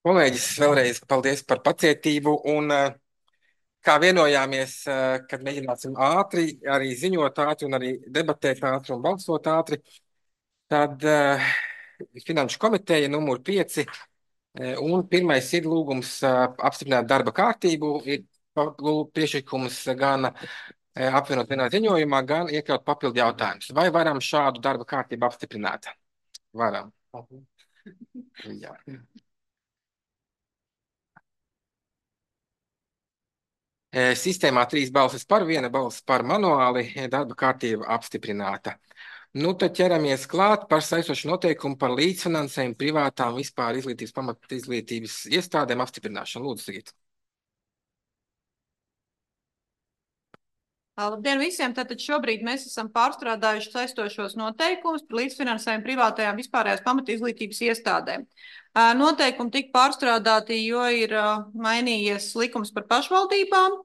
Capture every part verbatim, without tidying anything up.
Kolēģis, vēlreiz paldies par pacietību. Un, eh, kā vienojāmies, eh, kad mēģināsim ātri arī ziņot ātri un arī debatēt ātri un balsot ātri, tad uh, Finanšu komiteja numur pieci eh, un pirmais ir lūgums uh, apstiprināt darba kārtību. Ir lūg- priekšlikums gan eh, apvienot vienā ziņojumā, gan iekļaut papildu jautājumus. Vai varam šādu darba kārtību apstiprināt? Varam. Jā. E, Sistēmā trīs balsis par, viena balss par manuāli, e, darba kārtība apstiprināta. Nu, tad ķeramies klāt par saistošu noteikumu par līdzfinansējumu privātām vispār izglītības, pamat izglītības iestādēm apstiprināšanu. Lūdzu, Sigit. Labdien visiem! Tātad šobrīd mēs esam pārstrādājuši saistošos noteikumus par līdzfinansējumu privātajām vispārējās pamatizglītības iestādēm. Noteikumi tika pārstrādāti, jo ir mainījies likums par pašvaldībām,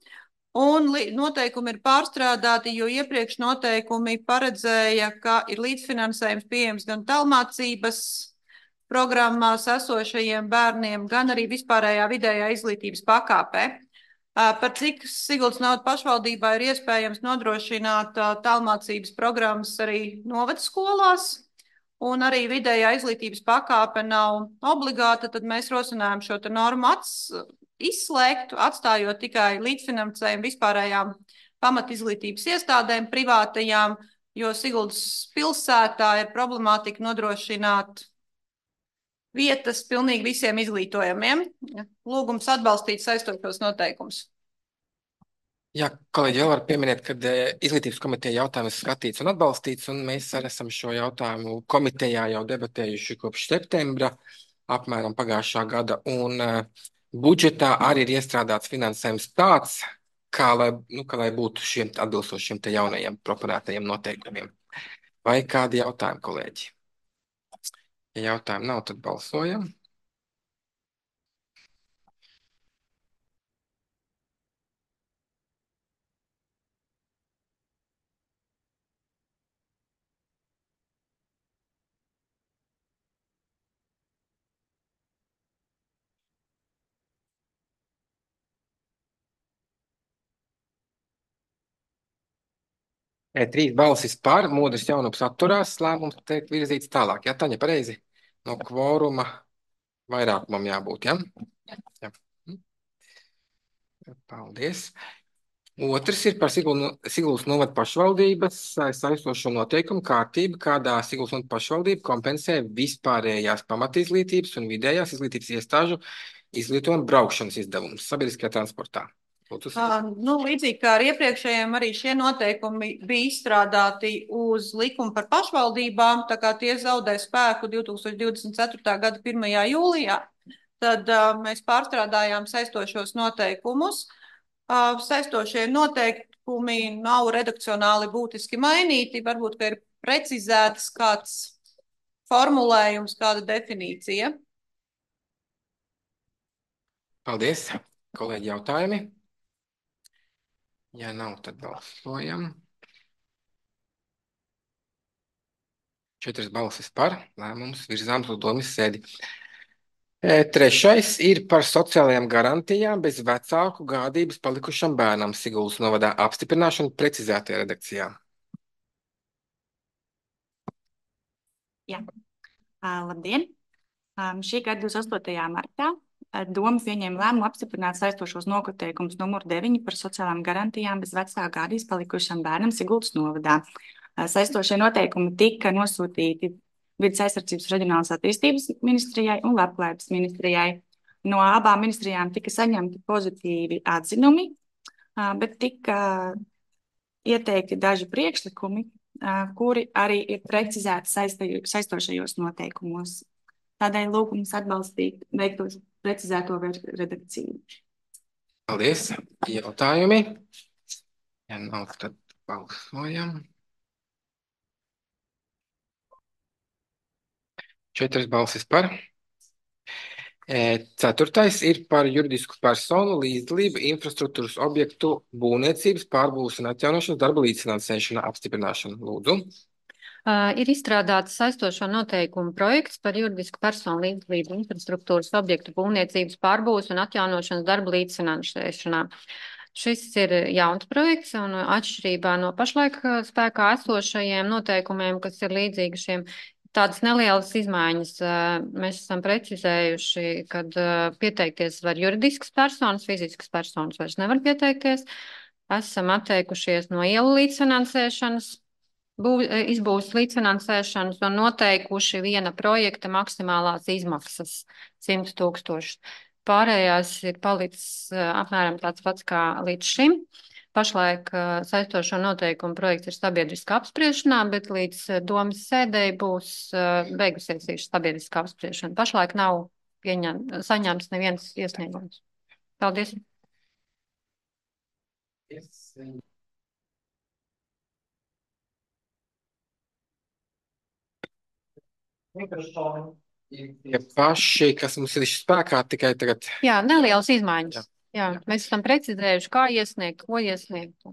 un noteikumi ir pārstrādāti, jo iepriekš noteikumi paredzēja, ka ir līdzfinansējums pieejams gan tālmācības programmās esošajiem bērniem, gan arī vispārējā vidējā izglītības pakāpē. Par cik Siguldas novada pašvaldībā ir iespējams nodrošināt tālmācības programmas arī novadskolās, un arī vidējā izglītības pakāpe nav obligāta, tad mēs rosinājām šo normu ats, izslēgt, atstājot tikai līdzfinansējumu vispārējām pamatizglītības iestādēm, privātajām, jo Siguldas pilsētā ir problemātika nodrošināt vietas pilnīgi visiem izglītojamiem. Lūgums atbalstīt saistošos noteikumus. Jā, kolēģi, vēl var pieminēt, ka izglītības komiteja jautājums skatīts un atbalstīts, un mēs arī esam šo jautājumu komitejā jau debatējuši kopš septembra, apmēram pagājušā gada, un uh, budžetā arī ir iestrādāts finansējums tāds, kā lai, nu, kā lai būtu šiem atbilstošiem te jaunajiem proponētajiem noteikumiem. Vai kādi jautājumi, kolēģi? Ja jautājumu nav, tad balsojam. E, trīs balsis par, Modris Jaunups atturās, lēmums tiek virzīts tālāk. Jā, Taņa, pareizi? No kvoruma vairākumam jābūt, jā? Jā. Paldies. Otrs ir par Siguldas novada pašvaldības saistošo noteikumu kārtību, kādā Siguldas novada pašvaldība kompensē vispārējās pamatizglītības un vidējās izglītības iestāžu izglītojuma braukšanas izdevumus sabiedriskajā transportā. Uh, nu, līdzīgi kā ar iepriekšējiem, arī šie noteikumi bija izstrādāti uz likumu par pašvaldībām, tā kā tie zaudē spēku divi tūkstoši divdesmit ceturtā gada pirmajā jūlijā. Tad uh, mēs pārstrādājām saistošos noteikumus. Uh, saistošie noteikumi nav redakcionāli būtiski mainīti, varbūt, ka ir precizēts kāds formulējums, kāda definīcija. Paldies. Kolēģi, jautājumi? Ja nav, tad balsojam. Četras balsis par, lēmums virzāms uz domas sēdi. E, trešais ir par sociālajām garantijām bez vecāku gādības palikušam bērnam Siguldas novadā apstiprināšanu precizētajā redakcijā. Jā. Uh, labdien! Um, šī gada divdesmit astotajā martā Doma pieņēma lēmumu apstiprināt saistošos noteikumus numur deviņi par sociālām garantijām bez vecāku gādības palikušam bērnam Siguldas novadā. Saistošie noteikumi tika nosūtīti Vides aizsardzības reģionālās attīstības ministrijai un Labklājības ministrijai. No abām ministrijām tika saņemti pozitīvi atzinumi, bet tika ieteikti daži priekšlikumi, kuri arī ir precizēti saistošajos noteikumos. Tādēļ lūgums atbalstīt veiktos precizēto redakciju. Paldies. Jautājumi? Ja nav, tad balsojam. Četras balsis par. Ceturtais ir par juridisku personu līdzdalību infrastruktūras objektu būvniecības, pārbūves un atjaunošanas darba līdzfinansēšana apstiprināšanu. Lūdzu. Uh, ir izstrādāts saistošo noteikumu projekts par juridisku personu līdzdalību infrastruktūras objektu būvniecības pārbūves un atjaunošanas darbu līdzfinansēšanā. Šis ir jauns projekts un atšķirībā no pašlaik spēkā esošajiem noteikumiem, kas ir līdzīgi šiem, tādas nelielas izmaiņas. Mēs esam precizējuši, kad pieteikties var juridiskas personas, fiziskas personas vairs nevar pieteikties. Esam atteikušies no ielu līdzfinansēšanas, bū, izbūves līdzfinansēšanas un noteikuši viena projekta maksimālās izmaksas simt tūkstoši. Pārējās ir palicis apmēram tāds pats kā līdz šim. Pašlaik saistošo noteikumu projekts ir sabiedriskā apspriešanā, bet līdz domas sēdēji būs beigusies šī sabiedriskā apspriešana. Pašlaik nav pieņem, saņemts neviens iesniegums. Paldies. Yes. Tie paši, kas mums ir spēkā, tikai tagad. Jā, nelielas izmaiņas. Jā. Jā, Jā. Mēs esam precizējuši, kā iesniegt, ko iesniegt.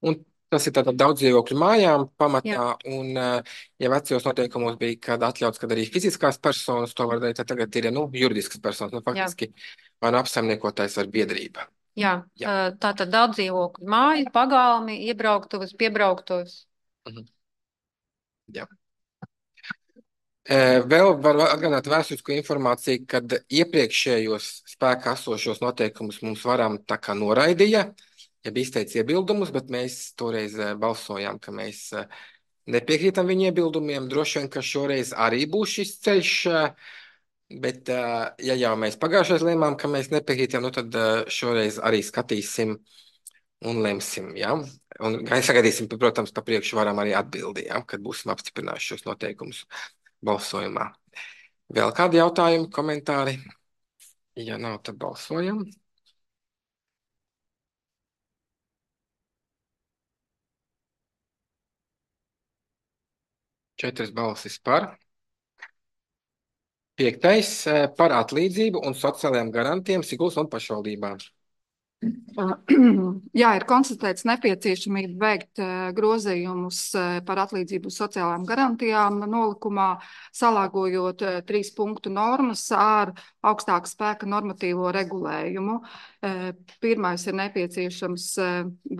Un tas ir tātad daudz dzīvokļu mājām pamatā, Jā. un ja vecajos noteikumos bija, kad atļauts, kad arī fiziskās personas to var darīt, tad tagad ir, nu, juridiskas personas, nu, faktiski, vai nu apsaimniekotājs vai biedrība. Jā, Jā. tātad daudz dzīvokļu māju, pagalmi, iebrauktuvas, piebrauktuvas. Mhm. Jā. Vēl var atgādināt vēsturisku informāciju, kad iepriekšējos spēkā esošos noteikumus mums varam tā kā noraidīja, ja bija izteicis iebildumus, bet mēs toreiz balsojām, ka mēs nepiekrītam viņu iebildumiem. Droši vien, ka šoreiz arī būs šis ceļš, bet ja jau mēs pagājušais lēmām, ka mēs nepiekrītam, nu tad šoreiz arī skatīsim un lemsim, jā. Un sagaidīsim, protams, pa priekšu varam arī atbildi, jā, kad būsim apstiprinājuši šos noteikumus balsojumā. Vēl kādi jautājumi, komentāri? Ja nav, tad balsojam. Četras balsis par. Piektais par atlīdzību un sociālajām garantijām Siguldas un pašvaldībām. Jā, ir konstatēts nepieciešamība veikt grozījumus par atlīdzību sociālām garantijām nolikumā, salāgojot trīs punktu normas ar augstāku spēka normatīvo regulējumu. Pirmais ir nepieciešams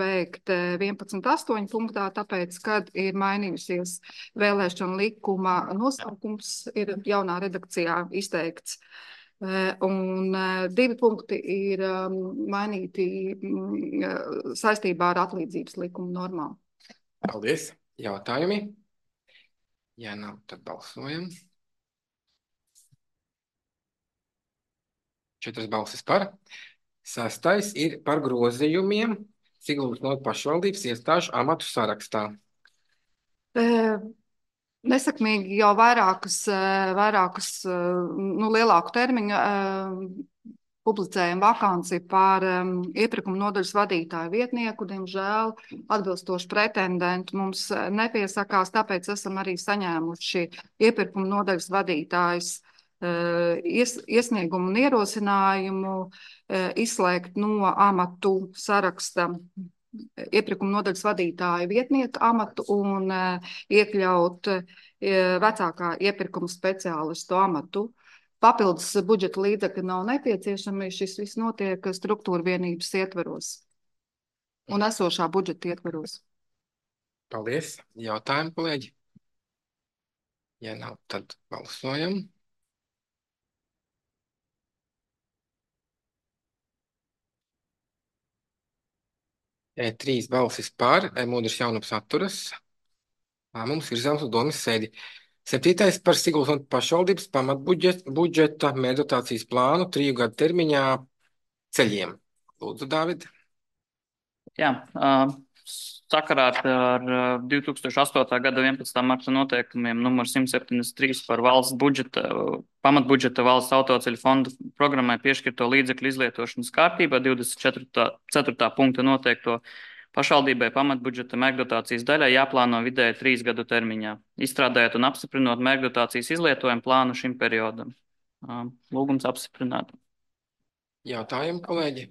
veikt vienpadsmit astoņi punktā, tāpēc, kad ir mainījusies vēlēšana likuma nosaukums, ir jaunā redakcijā izteikts. Un divi punkti ir mainīti saistībā ar atlīdzības likuma normām. Paldies. Jautājumi? Ja nav, tad balsojam. Četras balsis par. Sastais ir par grozījumiem Siguldas no pašvaldības iestāžu amatu sarakstā. E Nesakmīgi jau vairākas, vairākas nu, lielāku termiņu publicējam vakanci par iepirkuma nodaļas vadītāju vietnieku. Diemžēl atbilstoši pretendentu mums nepiesakās, tāpēc esam arī saņēmuši iepirkuma nodaļas vadītājs ies, iesniegumu un ierosinājumu izslēgt no amatu saraksta iepirkuma nodaļas vadītāja vietnieka amatu un iekļaut vecākā iepirkuma speciālistu amatu. Papildus budžeta līdzekļi nav nepieciešami, šis viss notiek struktūra vienības ietveros un esošā budžeta ietveros. Paldies. Jautājumi, kolēģi? Ja nav, tad balsojam. Trīs balsis par, Mūdrs Jaunums atturas. Lēmums virzāms uz domas sēdi. Septītais par Siguldas un pašvaldības pamatbudžeta mērķdotācijas plānu triju gadu termiņā ceļiem. Lūdzu, Dāvid. Jā, sakarā ar divi tūkstoši astotā gada vienpadsmitā marta noteikumiem numur simt septiņdesmit trīs par valsts budžeta, pamatbudžeta valsts autoceļu fonda programmai piešķirto līdzekļu izlietošanas kārtībā divdesmit ceturtā punkta noteikto pašvaldībai pamatbudžeta mērķdotācijas daļai jāplāno vidēji trīs gadu termiņā, izstrādājot un apstiprinot mērķdotācijas izlietojumu plānu šim periodam. Lūgums apstiprināt. Jautājumi, kolēģi?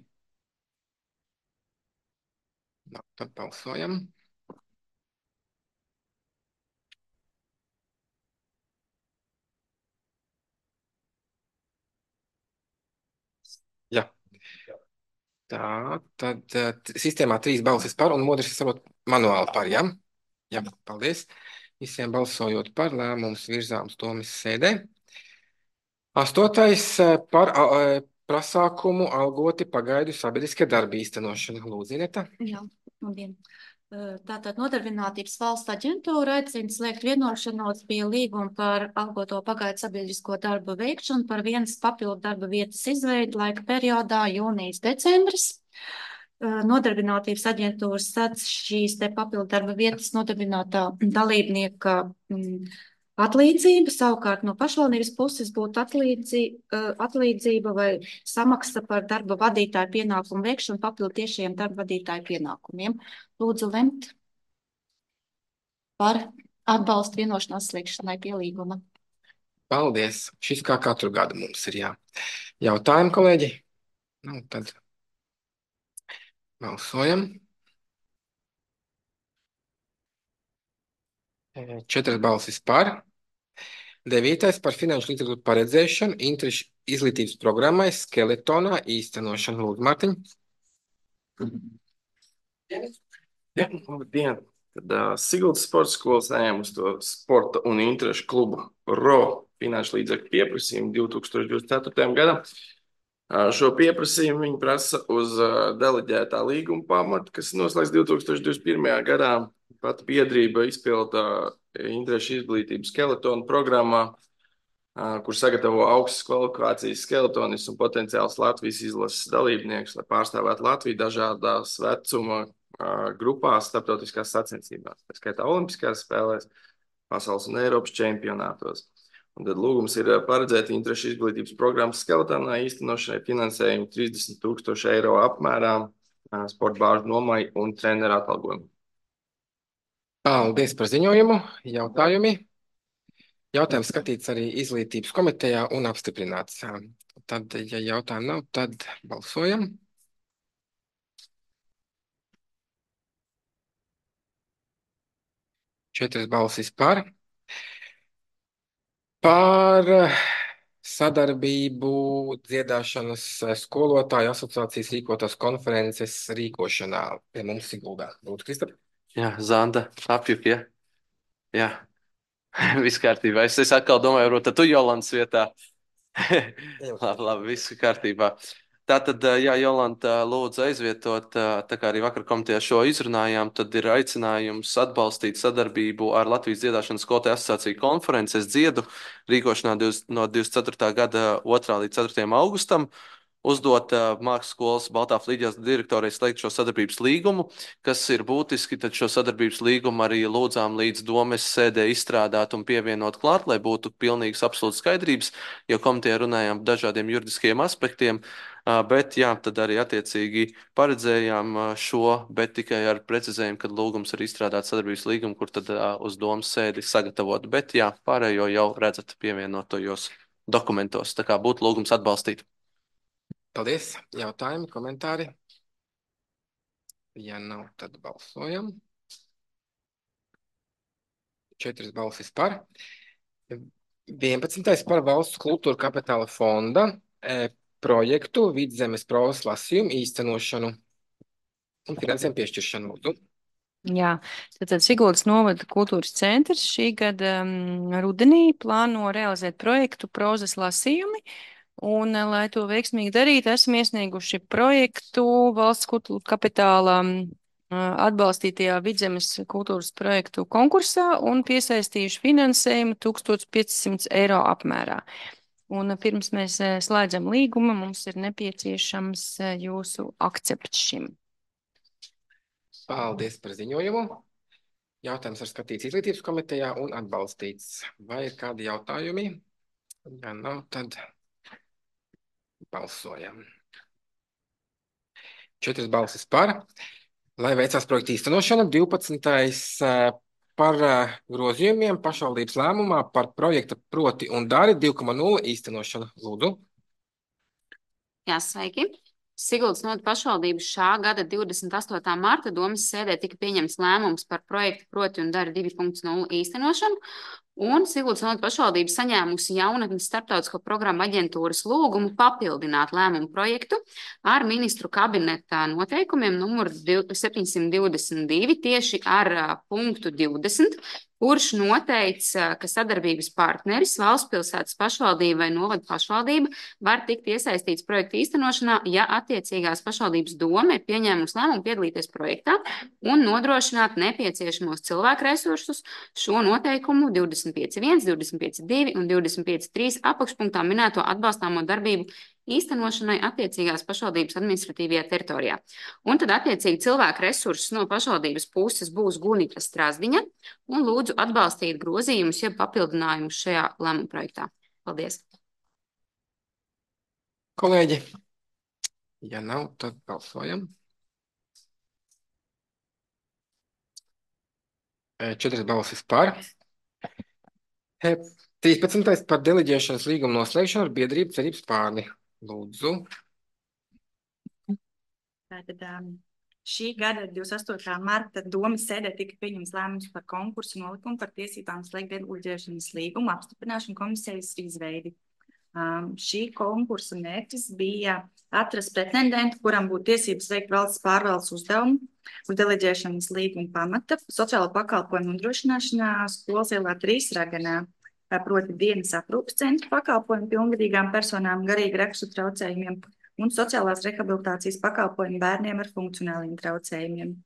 No, tad balsojam. Tā, tad uh, sistēmā trīs balsis par un Modris sarot manuāli par, jā? Jā, paldies. Visiem balsojot par lēmums virzāms domas sēdē. Astotais uh, par uh, pasākumu algoti pagaidu sabiedriskie darbi īstenošana. Lūdzu, Ineta. Jā, labdien. Tātad Nodarbinātības valsts aģentūra aicina slēgt vienošanos pie līguma par algoto pagaidu sabiedrisko darbu veikšanu par vienas papildu darba vietas izveidi laika periodā jūnijas-decembris. Nodarbinātības aģentūras sadz šīs te papildu darba vietas nodarbinātā dalībnieka atlīdzība, savukārt no pašvaldības puses būtu atlīdzi, atlīdzība vai samaksa par darba vadītāju pienākumu veikšanu papildu tiešiem darba vadītāju pienākumiem. Lūdzu lemt par atbalstu vienošanās slēgšanai pie līguma. Paldies. Šis kā katru gadu mums ir, jā. Jautājumi, kolēģi? Nu, tad balsojam. Četras balsis par. Devītais par finanšu līdzekļu paredzēšanu interešu izglītības programmai skeletonā īstenošanu. Lūdzu, Mārtiņ. Jā, labdien. Tad uh, Siguldas sporta skolas saņēma uz to sporta un interešu klubu R O finanšu līdzekļu pieprasījumu divi tūkstoši divdesmit ceturtajam gadam. Uh, šo pieprasījumu viņi prasa uz uh, deleģētā līguma pamatu, kas noslēgts divi tūkstoši divdesmit pirmajā gadā. Pat biedrība izpilda interešu izglītības skeletonu programmā, uh, kur sagatavo augstas kvalifikācijas skeletonis un potenciāls Latvijas izlases dalībnieks, lai pārstāvētu Latviju dažādās vecuma grupās starptautiskās sacensībās, tā skaitā olimpiskās spēlēs, pasaules un Eiropas čempionātos. Un tad lūgums ir paredzēt interešu izglītības programmas skeletonā īstenošanai finansējumu trīsdesmit tūkstoši eiro apmērā sporta bāžu nomai un treneru atalgojumu. Paldies par ziņojumu. Jautājumi? Jautājums skatīts arī izglītības komitejā un apstiprināts. Tad, ja jautājumu nav, tad balsojam. Četras balsis par. Par sadarbību dziedāšanas skolotāju asociācijas rīkotās konferences rīkošanā pie mums Siguldā. Lūdzu, Kristap. Jā, Zanda, apjuk, ja? Jā, viss kārtībā. Es, es atkal domāju, varbūt tad tu Jolantas vietā. labi, labi, viss kārtībā. Tātad, jā, Jolanta lūdzu aizvietot, tā kā arī vakar komitejā šo izrunājām, tad ir aicinājums atbalstīt sadarbību ar Latvijas dziedāšanas skolotāju asociāciju konferences dziedu rīkošanā no divdesmit ceturtā gada otrā līdz ceturtajam augustam. Uzdot uh, mākslas skolas Baltā Flīģeles direktorai slēgt šo sadarbības līgumu, kas ir būtiski, tad šo sadarbības līgumu arī lūdzām līdz domes sēdē izstrādāt un pievienot klāt, lai būtu pilnīgas absolūtas skaidrības, jo komitejā runājām par dažādiem juridiskiem aspektiem, uh, bet jā, tad arī attiecīgi paredzējām uh, šo, bet tikai ar precizējumu, kad lūgums ir izstrādāt sadarbības līgumu, kur tad uh, uz domes sēdi sagatavot, bet jā, pārējo jau redzat pievienotojos dokumentos, tā kā būtu lūgums atbalstīt. Paldies. Jautājumi, komentāri? Ja nav, tad balsojam. Četras balsis par. vienpadsmitais par valsts kultūra kapitāla fonda e, projektu Vidzemes provas lasījumu īstenošanu un finansējumu piešķiršanu. Lūdzu. Jā, tātad Siguldas novada kultūras centrs šī gada um, rudenī plāno realizēt projektu prozas lasījumi. Un, lai to veiksmīgi darītu, esam iesnieguši projektu valsts kultūra kapitāla atbalstītajā Vidzemes kultūras projektu konkursā un piesaistījuši finansējumu tūkstoš piecsimt eiro apmērā. Un pirms mēs slēdzam līgumu, mums ir nepieciešams jūsu akcepts šim. Paldies par ziņojumu. Jautājums ir skatīts izglītības komitejā un atbalstīts. Vai ir kādi jautājumi? Ja nav, tad balsojam. Četras balsis par. Lai veicās projekta īstenošana, divpadsmitais par grozījumiem pašvaldības lēmumā par projekta proti un dari divi koma nulle īstenošanu. Lūdzu. Jā, sveiki. Siguldas novada pašvaldības šā gada divdesmit astotā marta domes sēdē tika pieņemts lēmums par projektu proti un dari divi koma nulle īstenošanu. Un Siguldas novada pašvaldība saņēmusi jaunatnes starptautisko programmu aģentūras lūgumu papildināt lēmumu projektu ar ministru kabineta noteikumiem numur septiņsimt divdesmit divi tieši ar uh, punktu divdesmit, kurš noteica, ka sadarbības partneris valsts pilsētas pašvaldība vai novada pašvaldība var tikt iesaistīts projekta īstenošanā, ja attiecīgās pašvaldības doma ir pieņēmusi lēmumu piedalīties projektā un nodrošināt nepieciešamos cilvēku resursus šo noteikumu divdesmit pieci viens, divdesmit pieci divi un divdesmit pieci trīs apakšpunktā minēto atbalstāmo darbību īstenošanai attiecīgās pašvaldības administratīvajā teritorijā. Un tad attiecīgi cilvēku resursus no pašvaldības puses būs Gunita Strazdiņa un lūdzu atbalstīt grozījumus, jeb papildinājumus šajā lēmuma projektā. Paldies! Kolēģi, ja nav, tad balsojam. Četras balsis par. trīspadsmitais par deleģēšanas līgumu noslēgšanu ar biedrību Cerības Spārni. Lūdzu. Tātad um, šī gada divdesmit astotā marta domas sēdē tika pieņemts lēmums par konkursu nolikumu par tiesībām slēgt deleģēšanas līgumu apstiprināšanu komisijas izveidi. Um, šī konkursa mērķis bija atrast pretendentu, kuram būtu tiesības veikt valsts pārvaldes uzdevumu uz deleģēšanas līguma pamata sociālo pakalpojumu nodrošināšanā Skolas ielā trīs Raganā, proti dienas aprūpes centra pakalpojumu pilngadīgām personām garīgi rakstu traucējumiem un sociālās rehabilitācijas pakalpojumu bērniem ar funkcionāliem traucējumiem.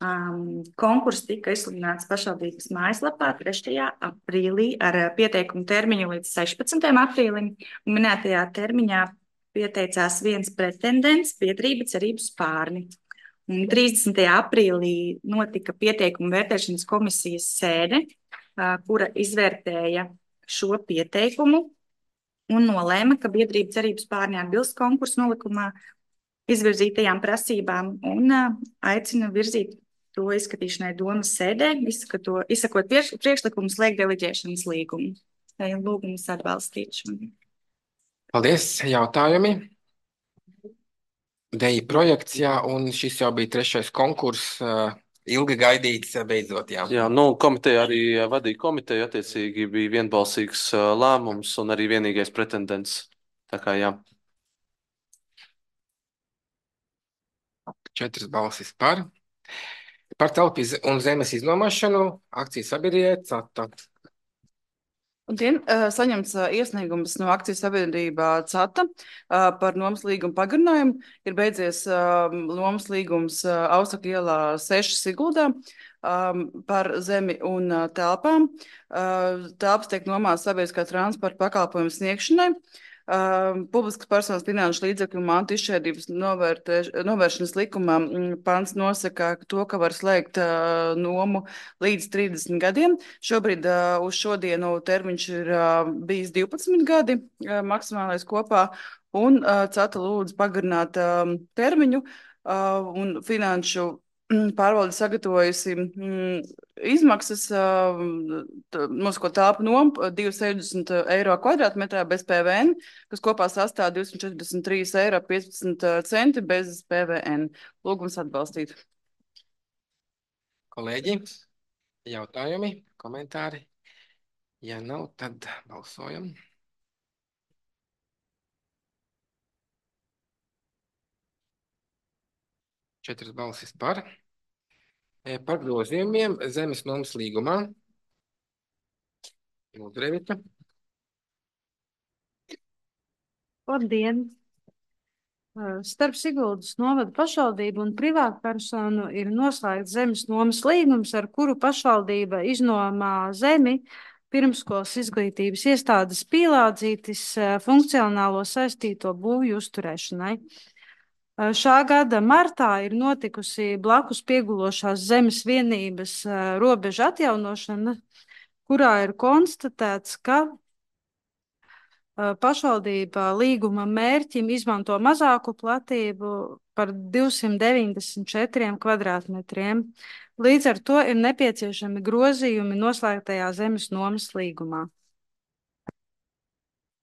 Um, Konkurss tika izsludināts pašvaldības mājaslapā trešajā aprīlī ar pieteikumu termiņu līdz sešpadsmitajam aprīlim, un minētajā termiņā pieteicās viens pretendents biedrība Cerības Spārni. Un trīsdesmitajā aprīlī notika pieteikumu vērtēšanas komisijas sēde, uh, kura izvērtēja šo pieteikumu un nolēma, ka biedrība Cerības Spārni atbilst konkursu nolikumā izvirzītajām prasībām un uh, aicina virzīt to izskatīšanai domas sēdē, izskato, izsakot priekš, priekšlikumu slēgt deleģēšanas līgumu. Tā ir lūgums atbalstīt šo. Paldies, jautājumi. Deja projekts, jā, un šis jau bija trešais konkurss, uh, ilgi gaidīts, beidzot, jā. Jā, nu, komiteja arī vadīja komiteju, attiecīgi bija vienbalsīgs uh, lēmums un arī vienīgais pretendents. Tā kā jā. Četras balsis par. Par telpu un zemes iznomāšanu akciju sabiedrībai CATA. Labdien, saņemts iesniegums no akciju sabiedrībā CATA par nomas līgumu pagarinājumu. Ir beidzies nomas līgums Ausaka ielā seši Siguldā par zemi un telpām. Telpas tiek nomāts sabiedriskā transporta pakalpojumu sniegšanai. Uh, publiskas personas finanšu līdzekļu mantu izšķērdības novēršanas likumā pants nosaka to, ka var slēgt uh, nomu līdz trīsdesmit gadiem. Šobrīd uh, uz šodienu termiņš ir uh, bijis divpadsmit gadi uh, maksimālais kopā, un uh, CATA lūdz pagarināt uh, termiņu uh, un finanšu pārvalde sagatavojusi mm, izmaksas, nosakot telpu nomu divas sešdesmit eiro kvadrātmetrā bez P V N, kas kopā sastāv divsimt četrdesmit trīs eiro piecpadsmit centi bez P V N. Lūgums atbalstīt. Kolēģi, jautājumi, komentāri? Ja nav, tad balsojam. Četras balsis par. Par grozījumiem zemes nomas līgumā. Lūdzu, Revita. Labdien! Starp Siguldas novada pašvaldību un privātpersonu ir noslēgts zemes nomas līgums, ar kuru pašvaldība iznomā zemi pirmskolas izglītības iestādes Pīlādzītis funkcionālo saistīto būvju uzturēšanai. Šā gada martā ir notikusi blakus piegulošās zemes vienības robeža atjaunošana, kurā ir konstatēts, ka pašvaldība līguma mērķim izmanto mazāku platību par divsimt deviņdesmit četriem kvadrātmetriem. Līdz ar to ir nepieciešami grozījumi noslēgtajā zemes nomas līgumā.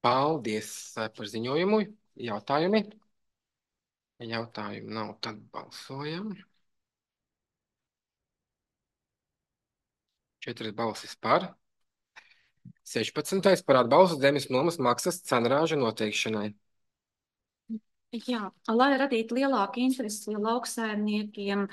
Paldies par ziņojumu. Jautājumi? Jautājumu nav, tad balsojam. Četras balsis par. sešpadsmitais par atbalstu zemes nomas maksas cenrāžu noteikšanai. Jā, lai radītu lielāku interesi lauksaimniekiem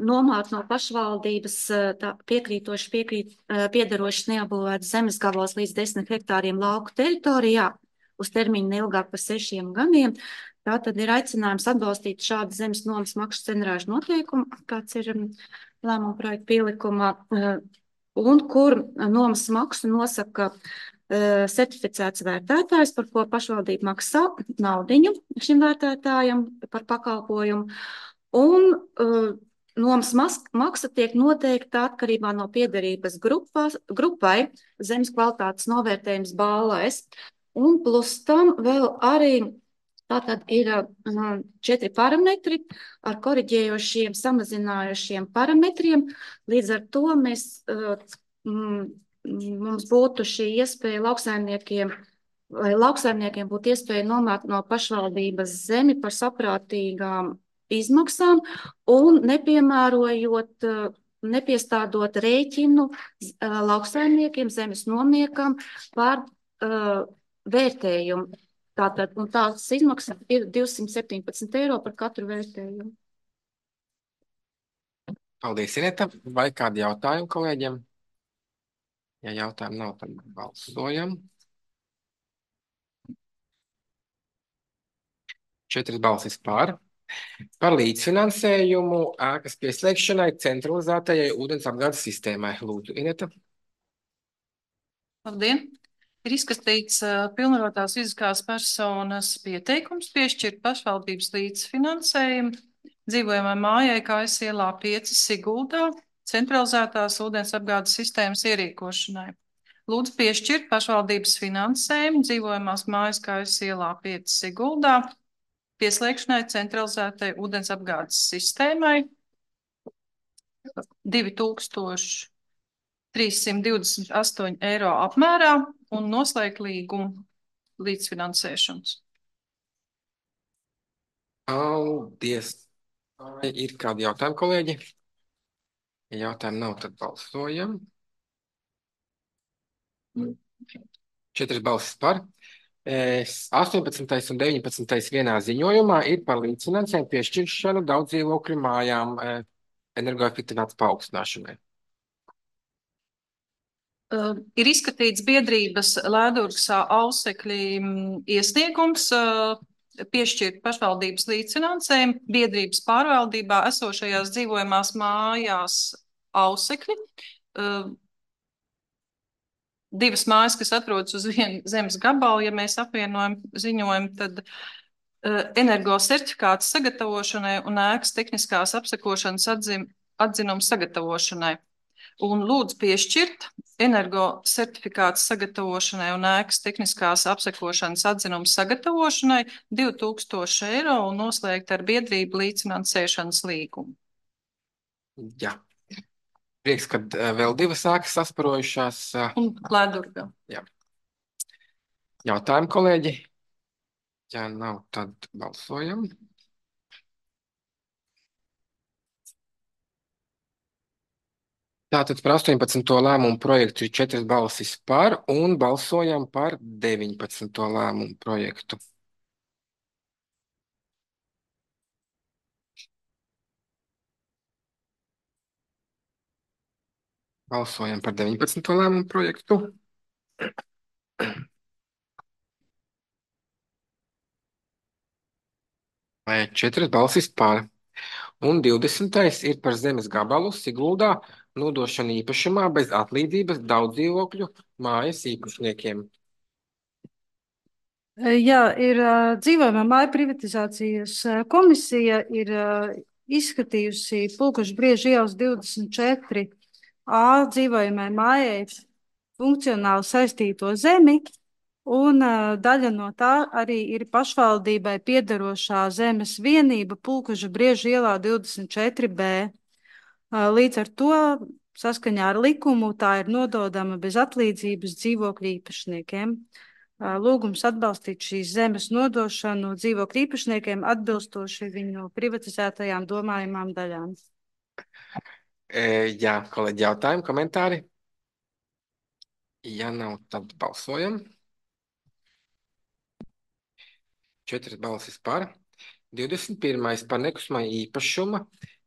nomāt no pašvaldības tā, piekrītoši piekrīt, piedarošas neapbūvētas zemes gabalos līdz desmit hektāriem lauku teritorijā uz termiņu neilgāk par sešiem gadiem. Tā tad ir aicinājums atbalstīt šādu zemes nomas maksu cenrāžu noteikumu, kāds ir lēmuma projekta pielikumā, un kur nomas maksu nosaka certificēts vērtētājs, par ko pašvaldība maksā naudiņu šim vērtētājam par pakalpojumu. Un uh, nomas maksa tiek noteikta atkarībā no piederības grupās, grupai zemes kvalitātes novērtējums balēs. Un plus tam vēl arī tātad ir uh, četri parametri ar koriģējošiem, samazinājošiem parametriem. Līdz ar to mēs uh, mm, mums būtu šī iespēja lauksaimniekiem, vai lauksaimniekiem būtu iespēja nomāt no pašvaldības zemi par saprātīgām izmaksām un nepiemērojot, nepiestādot rēķinu lauksaimniekiem, zemes nomniekam par uh, vērtējumu. Tātad, un tās izmaksas ir divsimt septiņpadsmit eiro par katru vērtējumu. Paldies, Ineta. Vai kādi jautājumi kolēģiem? Ja jautājumu nav, tad balsojam. Četras balsis par. Par līdzfinansējumu ēkas pieslēgšanai centralizētajai ūdens apgādes sistēmai. Lūdzu, Ineta. Labdien! Ir izskatīts uh, pilnvarotās fiziskās personas pieteikums piešķirt pašvaldības līdzfinansējumu dzīvojamai mājai Kājas ielā pieci Siguldā centralizētās ūdens apgādes sistēmas ierīkošanai. Lūdzu piešķirt pašvaldības finansējumu dzīvojamās mājas Kājas ielā pieci Siguldā pieslēgšanai centralizētai ūdens apgādes sistēmai divi tūkstoši trīssimt divdesmit astoņi eiro apmērā un noslēgt līgumu līdzfinansēšanas. Paldies. Vai ir kādi jautājumi, kolēģi? Ja jautājumu nav, tad balsojam. Četras balsis par. astoņpadsmitais un deviņpadsmitais vienā ziņojumā ir par līdzfinansējumu piešķiršanu daudz dzīvokļu mājām energoefektivitātes paaugstināšanai. Uh, ir izskatīts biedrības Lēdurgsā ausekļi iesniegums uh, piešķirt pašvaldības līdzfinansējumu biedrības pārvaldībā esošajās dzīvojamās mājās ausekļi. Uh, divas mājas, kas atrodas uz vienu zemes gabalu, ja mēs apvienojam ziņojumu, tad uh, energo certifikāts sagatavošanai un ēkas tehniskās apsekošanas atzim, atzinums sagatavošanai. Un lūdzu piešķirt energo certifikāts sagatavošanai un ēkas tehniskās apsekošanas atzinums sagatavošanai divi tūkstoši eiro un noslēgt ar biedrību līdzfinansēšanas līgumu. Jā. Prieks, ka uh, vēl divas ēkas sasparojušās. Uh, un Lēdurgā. Jā. Jautājumi, kolēģi? Ja nav, tad balsojam. Tātad par astoņpadsmito lēmumu projektu ir četras balsis par un balsojam par deviņpadsmito lēmumu projektu. Balsojam par deviņpadsmito lēmumu projektu. Četras balsis par. Un divdesmitais ir par zemes gabalu Siguldā nodošanu īpašumā bez atlīdzības daudz dzīvokļu mājas īpašniekiem. Jā, ir dzīvojamā māja privatizācijas komisija ir izskatījusi Pulkušbrieža ielas divdesmit četri A dzīvojamai mājai funkcionāli saistīto zemi, un daļa no tā arī ir pašvaldībai piederošā zemes vienība Pulkušbrieža ielā divdesmit četri B. Līdz ar to saskaņā ar likumu tā ir nododama bez atlīdzības dzīvokļu īpašniekiem. Lūgums atbalstīt šīs zemes nodošanu dzīvokļu īpašniekiem atbilstoši viņu privatizētajām domājumām daļām. E, jā, kolēģi, jautājumi, komentāri? Ja nav, tad balsojam. Četras balsis par. divdesmit pirmais par nekustamā īpašuma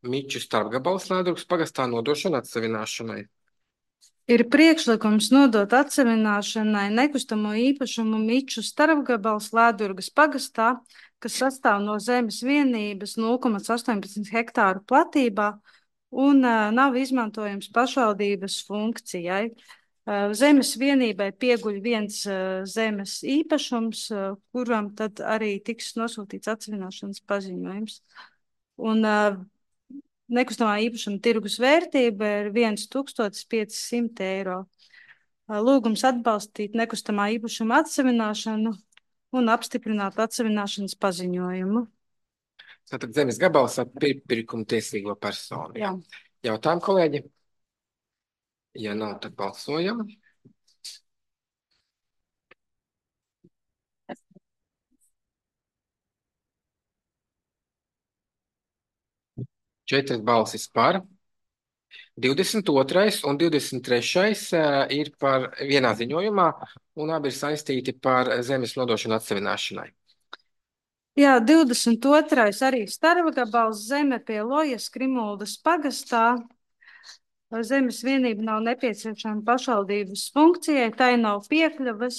Miču starpgabals Lēdurgas pagastā nodošanu atsevināšanai. Ir priekšlikums nodot atsevināšanai nekustamo īpašumu Miču starpgabals Lēdurgas pagastā, kas sastāv no zemes vienības nulle komats astoņpadsmit hektāru platībā un uh, nav izmantojams pašvaldības funkcijai. Uh, zemes vienībai pieguļ viens uh, zemes īpašums, uh, kuram tad arī tiks nosūtīts atsevināšanas paziņojums. Un uh, nekustamā īpašuma tirgus vērtība ir viens tūkstotis pieci simti eiro. Uh, lūgums atbalstīt nekustamā īpašuma atsevināšanu un apstiprināt atsevināšanas paziņojumu. Tātad zemes gabals ar pirkuma tiesīgo personu. Jā. Jautājumi, kolēģi? Ja nav, tad balsojam. Četras balsis par. divdesmit otrais un divdesmit trešais ir par vienā ziņojumā, un abi ir saistīti par zemes nodošanu atsevināšanai. Jā, divdesmit otrais arī starpgabals zeme pie Lojas Krimuldas pagastā. Zemes vienība nav nepieciešama pašvaldības funkcijai, tai nav piekļuves,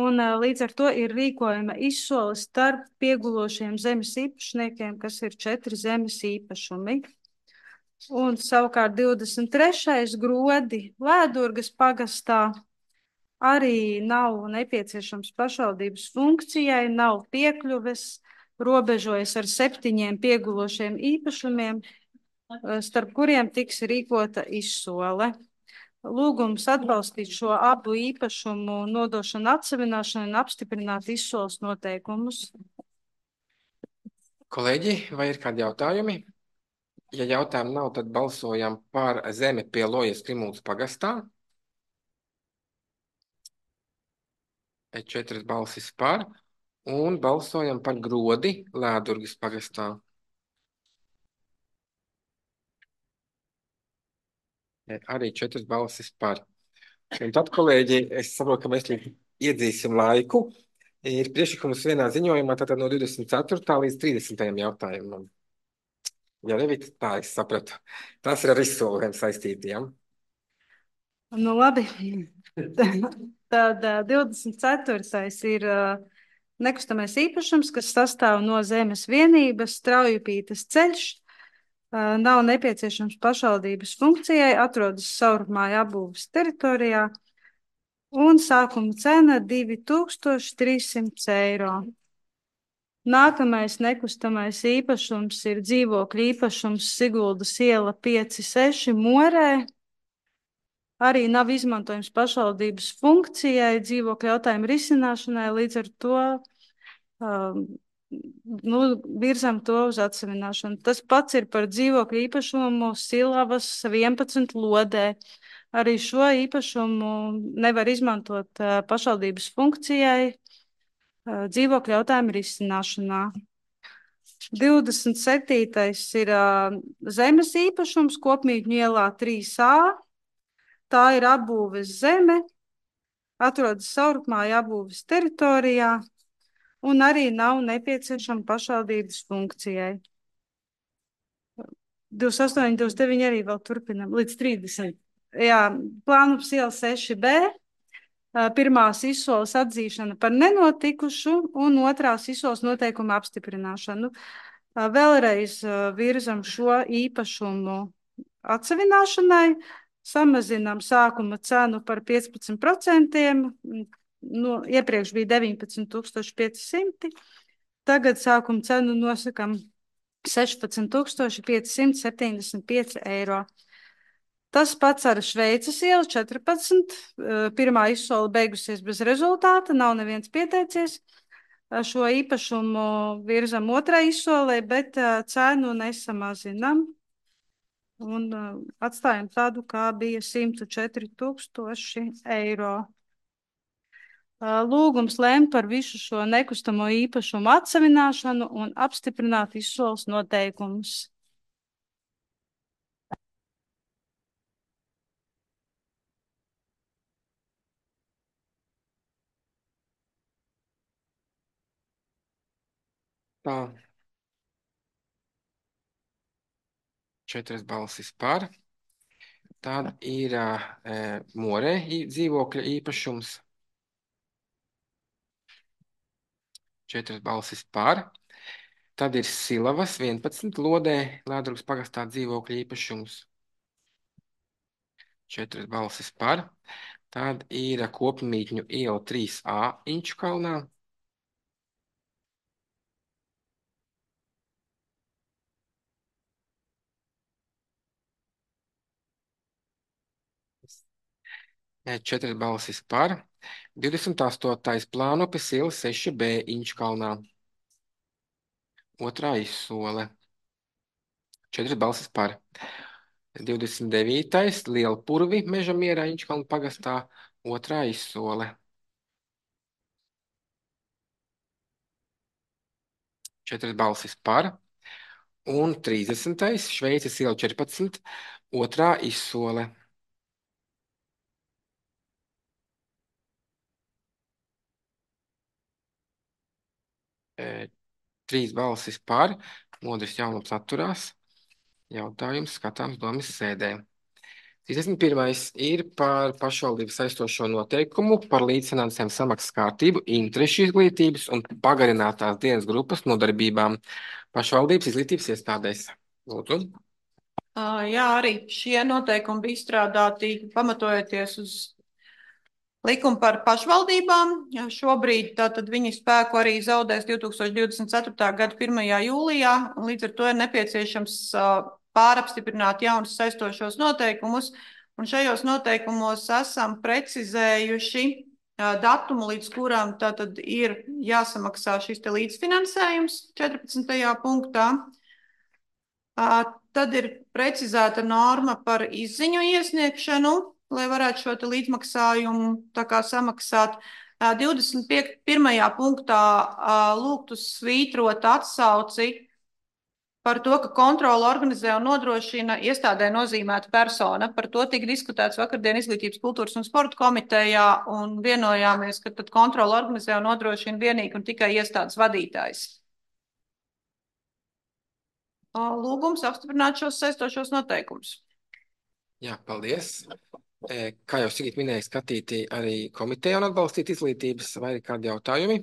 un līdz ar to ir rīkojama izsole starp piegulošiem zemes īpašniekiem, kas ir četri zemes īpašumi. Un savukārt divdesmit trešais grodi Lēdurgas pagastā arī nav nepieciešams pašvaldības funkcijai, nav piekļuves, robežojas ar septiņiem piegulošiem īpašumiem, starp kuriem tiks rīkota izsole. Lūgums atbalstīt šo abu īpašumu nodošanu atsevināšanu un apstiprināt izsoles noteikumus. Kolēģi, vai ir kādi jautājumi? Ja jautājumu nav, tad balsojam par zemi pie Lojas Krimuldas pagastā. Četras balsis par. Un balsojam par grodi Lēdurgas pagastā. Arī četras balsis par. Un tad, kolēģi, es saprotu, ka mēs iedzīsim laiku. Ir priekšlikums vienā ziņojumā, tātad no divdesmit ceturtā līdz trīsdesmitajam jautājumam. Ja Revita, tā es sapratu. Tas ir ar izsolēm saistītiem. Nu labi. Tad divdesmit ceturtais ir nekustamais īpašums, kas sastāv no zemes vienības, Straujupītes ceļš. Nav nepieciešams pašvaldības funkcijai, atrodas Saurupmāja apbūves teritorijā, un sākuma cena divi tūkstoši trīs simti eiro. Nākamais nekustamais īpašums ir dzīvokļu īpašums Siguldas iela pieci seši Morē. Arī nav izmantojams pašvaldības funkcijai, dzīvokļu jautājumu risināšanai, līdz ar to um, nu, virzam to uz atsevināšanu. Tas pats ir par dzīvokļu īpašumu Silavas vienpadsmit Lodē. Arī šo īpašumu nevar izmantot uh, pašvaldības funkcijai uh, dzīvokļu jautājumu risināšanā. divdesmit septītais ir uh, zemes īpašums Kopmītņu ielā trīs A. Tā ir apbūves zeme, atrodas Saurupmāja apbūves teritorijā, un arī nav nepieciešama pašvaldības funkcijai. divdesmit astoņi, divdesmit deviņi arī vēl turpinam, līdz trīsdesmit. Jā, Plānums iela seši B, pirmās izsoles atzīšana par nenotikušu un otrās izsoles noteikuma apstiprināšanu. Vēlreiz virzam šo īpašumu atsevināšanai, samazinām sākuma cenu par piecpadsmit procentiem, nu, iepriekš bija deviņpadsmit tūkstoši pieci simti, tagad sākuma cenu nosakam sešpadsmit tūkstoši pieci simti septiņdesmit pieci eiro. Tas pats ar Šveices ielu četrpadsmit, pirmā izsole beigusies bez rezultāta, nav neviens pieteicies. Šo īpašumu virzam otrai izsolē, bet cenu nesamazinam. Un uh, atstājam tādu, kā bija simt četri tūkstoši eiro. Uh, lūgums lēmt par visu šo nekustamo īpašumu atsevināšanu un apstiprināt izsoles noteikumus. Tā. Četras balsis par. Tad ir e, Morē dzīvokļa īpašums. Četras balsis par. Tad ir Silavas vienpadsmit Lodē, Lēdrugas pagastā dzīvokļa īpašums. Četras balsis par. Tad ir Kopmītņu iela trīs A Inčukalnā. Četras balsis par. divdesmit astotais Plānupes iela seši B Inčukalnā. Otrā izsole. Četras balsis par. divdesmit devītais Lielpurvi Meža mierā Inčukalnu pagastā. Otrā izsole. Četras balsis par. Un trīsdesmitais Šveices iela četrpadsmit. Otrā izsole. E, trīs balsis par. Modris Jaunums atturās. Jautājums skatāms domas sēdē. trīsdesmit pirmais ir par pašvaldības saistošo noteikumu par līdzfinansējumu samaksas kārtību, interešu izglītības un pagarinātās dienas grupas nodarbībām pašvaldības izglītības iestādēs. Lūdzu. Uh, jā, arī šie noteikumi bija izstrādāti pamatojoties uz likumu par pašvaldībām. Šobrīd tātad viņi spēku arī zaudēs divi tūkstoši divdesmit ceturtā gada pirmajā jūlijā, un līdz ar to ir nepieciešams uh, pārapstiprināt jaunus saistošos noteikumus, un šajos noteikumos esam precizējuši uh, datumu, līdz kuram tātad ir jāsamaksā šis te līdzfinansējums četrpadsmitajā punktā. Uh, tad ir precizēta norma par izziņu iesniegšanu, lai varētu šo te līdzmaksājumu tā kā samaksāt. Uh, divdesmit pirmajā punktā uh, lūgtu svītrot atsauci par to, ka kontroli organizē un nodrošina iestādē nozīmēta persona. Par to tika diskutēts vakardien Izglītības, kultūras un sporta komitejā, un vienojāmies, ka tad kontroli organizē un nodrošina vienīgi un tikai iestādes vadītājs. Lūgums apstiprināt šos saistošos noteikumus. Jā, paldies. Kā jau Sigita minēja, skatīti arī komiteja un atbalstīt izglītības, vai ir kādi jautājumi?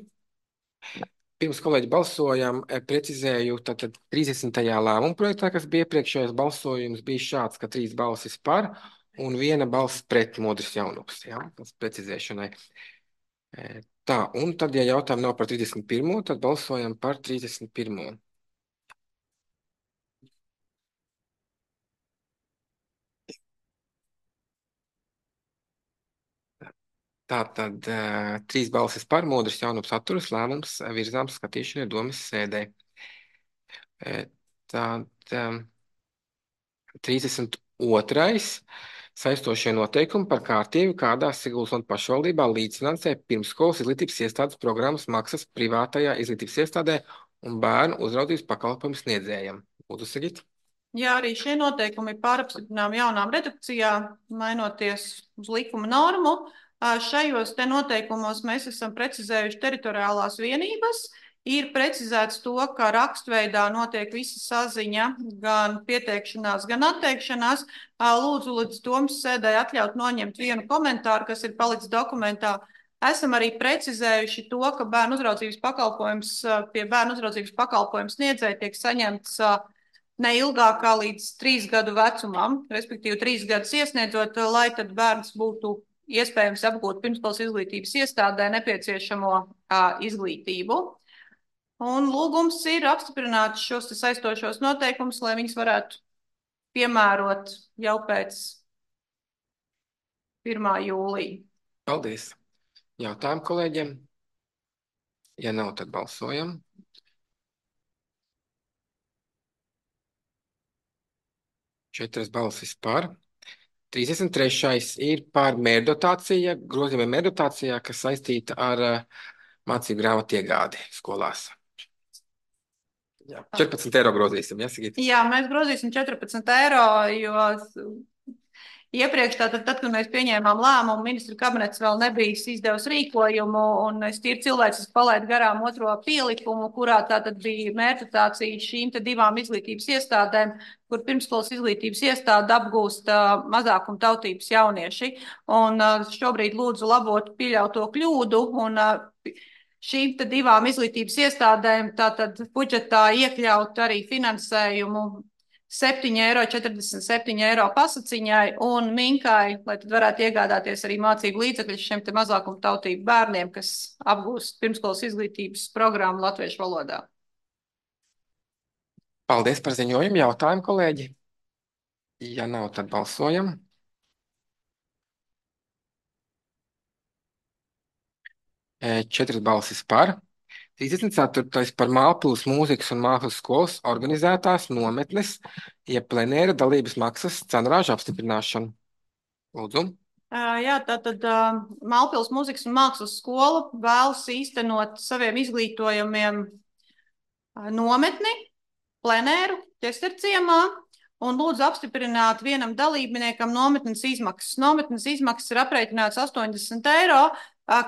Pirms kolēģi balsojam, precizēju, tātad trīsdesmitajā lēmuma projektā, kas bija iepriekšējais balsojums, bija šāds, ka trīs balsis par un viena balss pret Modris Jaunums. Jā, tas precizēšanai. Tā, un tad, ja jautājumi nav par trīsdesmit pirmo, tad balsojam par trīsdesmit pirmo. Tātad uh, trīs balsis par, Modris Jaunums atturas, lēmums virzāms skatīšanai domas sēdē. E, tad um, trīsdesmit otrais saistošie noteikumi par kārtību, kādā Siguldas un pašvaldībā līdzfinansē pirmsskolas izglītības iestādes programmas maksas privātajā izglītības iestādē un bērnu uzraudzības pakalpojumu sniedzējam. Lūdzu, Sigita. Jā, arī šie noteikumi ir pārapstiprinām jaunām redakcijām, mainoties uz likuma normu. Šajos te noteikumos mēs esam precizējuši teritoriālās vienības. Ir precizēts to, ka rakstveidā notiek visa saziņa, gan pieteikšanās, gan atteikšanās. Lūdzu, līdz domas sēdē atļaut noņemt vienu komentāru, kas ir palicis dokumentā. Esam arī precizējuši to, ka bērnu uzraudzības pakalpojums pie bērnu uzraudzības pakalpojums sniedzēja tiek saņemts neilgāk kā līdz trīs gadu vecumam, respektīvi trīs gadus iesniedzot, lai tad bērns būtu iespējams apgūt pirmsskolas izglītības iestādē nepieciešamo uh, izglītību. Un lūgums ir apstiprināt šos saistošos noteikumus, lai viņus varētu piemērot jau pēc pirmā jūlija. Paldies. Jautājumu kolēģiem? Ja nav, tad balsojam. Četras balsis par. trīsdesmit trešais ir par mērdotācija, grozījumiem mērdotācijā, kas saistīta ar uh, mācību grāmatu iegādi skolās. Jā, četrpadsmit eiro grozīsim, ja, Sigita? Jā, mēs grozīsim četrpadsmit eiro, jo Iepriekš, tātad, tad, kad mēs pieņēmām lēmumu, ministru kabinets vēl nebija izdevusi rīkojumu, un es tīri cilvēciski palaidu garām otro pielikumu, kurā tātad bija mērķitācija šīm te divām izglītības iestādēm, kur pirmskolas izglītības iestāde apgūst uh, mazākuma tautības jaunieši. Un uh, šobrīd lūdzu labot pieļauto kļūdu, un uh, šīm te divām izglītības iestādēm tātad budžetā iekļaut arī finansējumu septiņi eiro četrdesmit septiņi eiro pasaciņai un minkai, lai tad varētu iegādāties arī mācību līdzekļus šiem te mazākuma tautību bērniem, kas apgūst pirmskolas izglītības programmu latviešu valodā. Paldies par ziņojumu. Jautājumu, kolēģi? Ja nav, tad balsojam. Četras balsis par. trīsdesmit ceturtais par Mālpils mūzikas un mākslas skolas organizētās nometnes, jeb plenēra dalības maksas cenrāžu apstiprināšanu. Lūdzu. Jā, tātad Mālpils mūzikas un mākslas skola vēlas īstenot saviem izglītojumiem nometni, plenēru, ķesterciemā, un lūdzu apstiprināt vienam dalībniekam nometnes izmaksas. Nometnes izmaksas ir aprēķināts astoņdesmit eiro,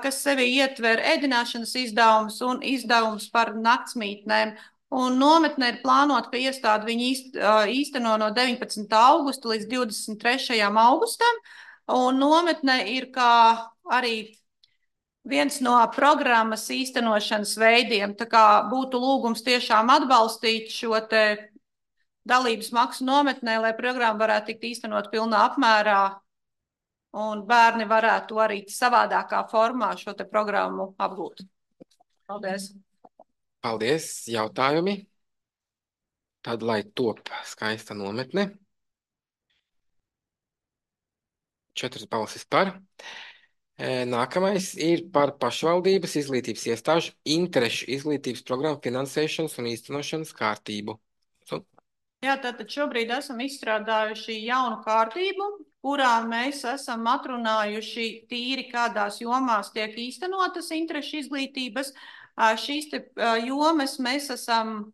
kas sevi ietver ēdināšanas izdevumus un izdevumus par naktsmītnēm. Un nometne ir plānota, ka iestāde viņi īst, īsteno no deviņpadsmitā augusta līdz divdesmit trešajam augustam. Un nometne ir kā arī viens no programmas īstenošanas veidiem. Tā kā būtu lūgums tiešām atbalstīt šo te dalības maksu nometnē, lai programma varētu tikt īstenot pilnā apmērā. Un bērni varētu arī savādākā formā šo te programmu apgūt. Paldies. Paldies. Jautājumi? Tad, lai top skaista nometne. Četras balsis par. Nākamais ir par pašvaldības izglītības iestāžu interešu izglītības programmu finansēšanas un īstenošanas kārtību. So. Jā, tātad šobrīd esam izstrādājuši jaunu kārtību, kurā mēs esam atrunājuši tīri, kādās jomās tiek īstenotas interešu izglītības. Šīs te jomas mēs esam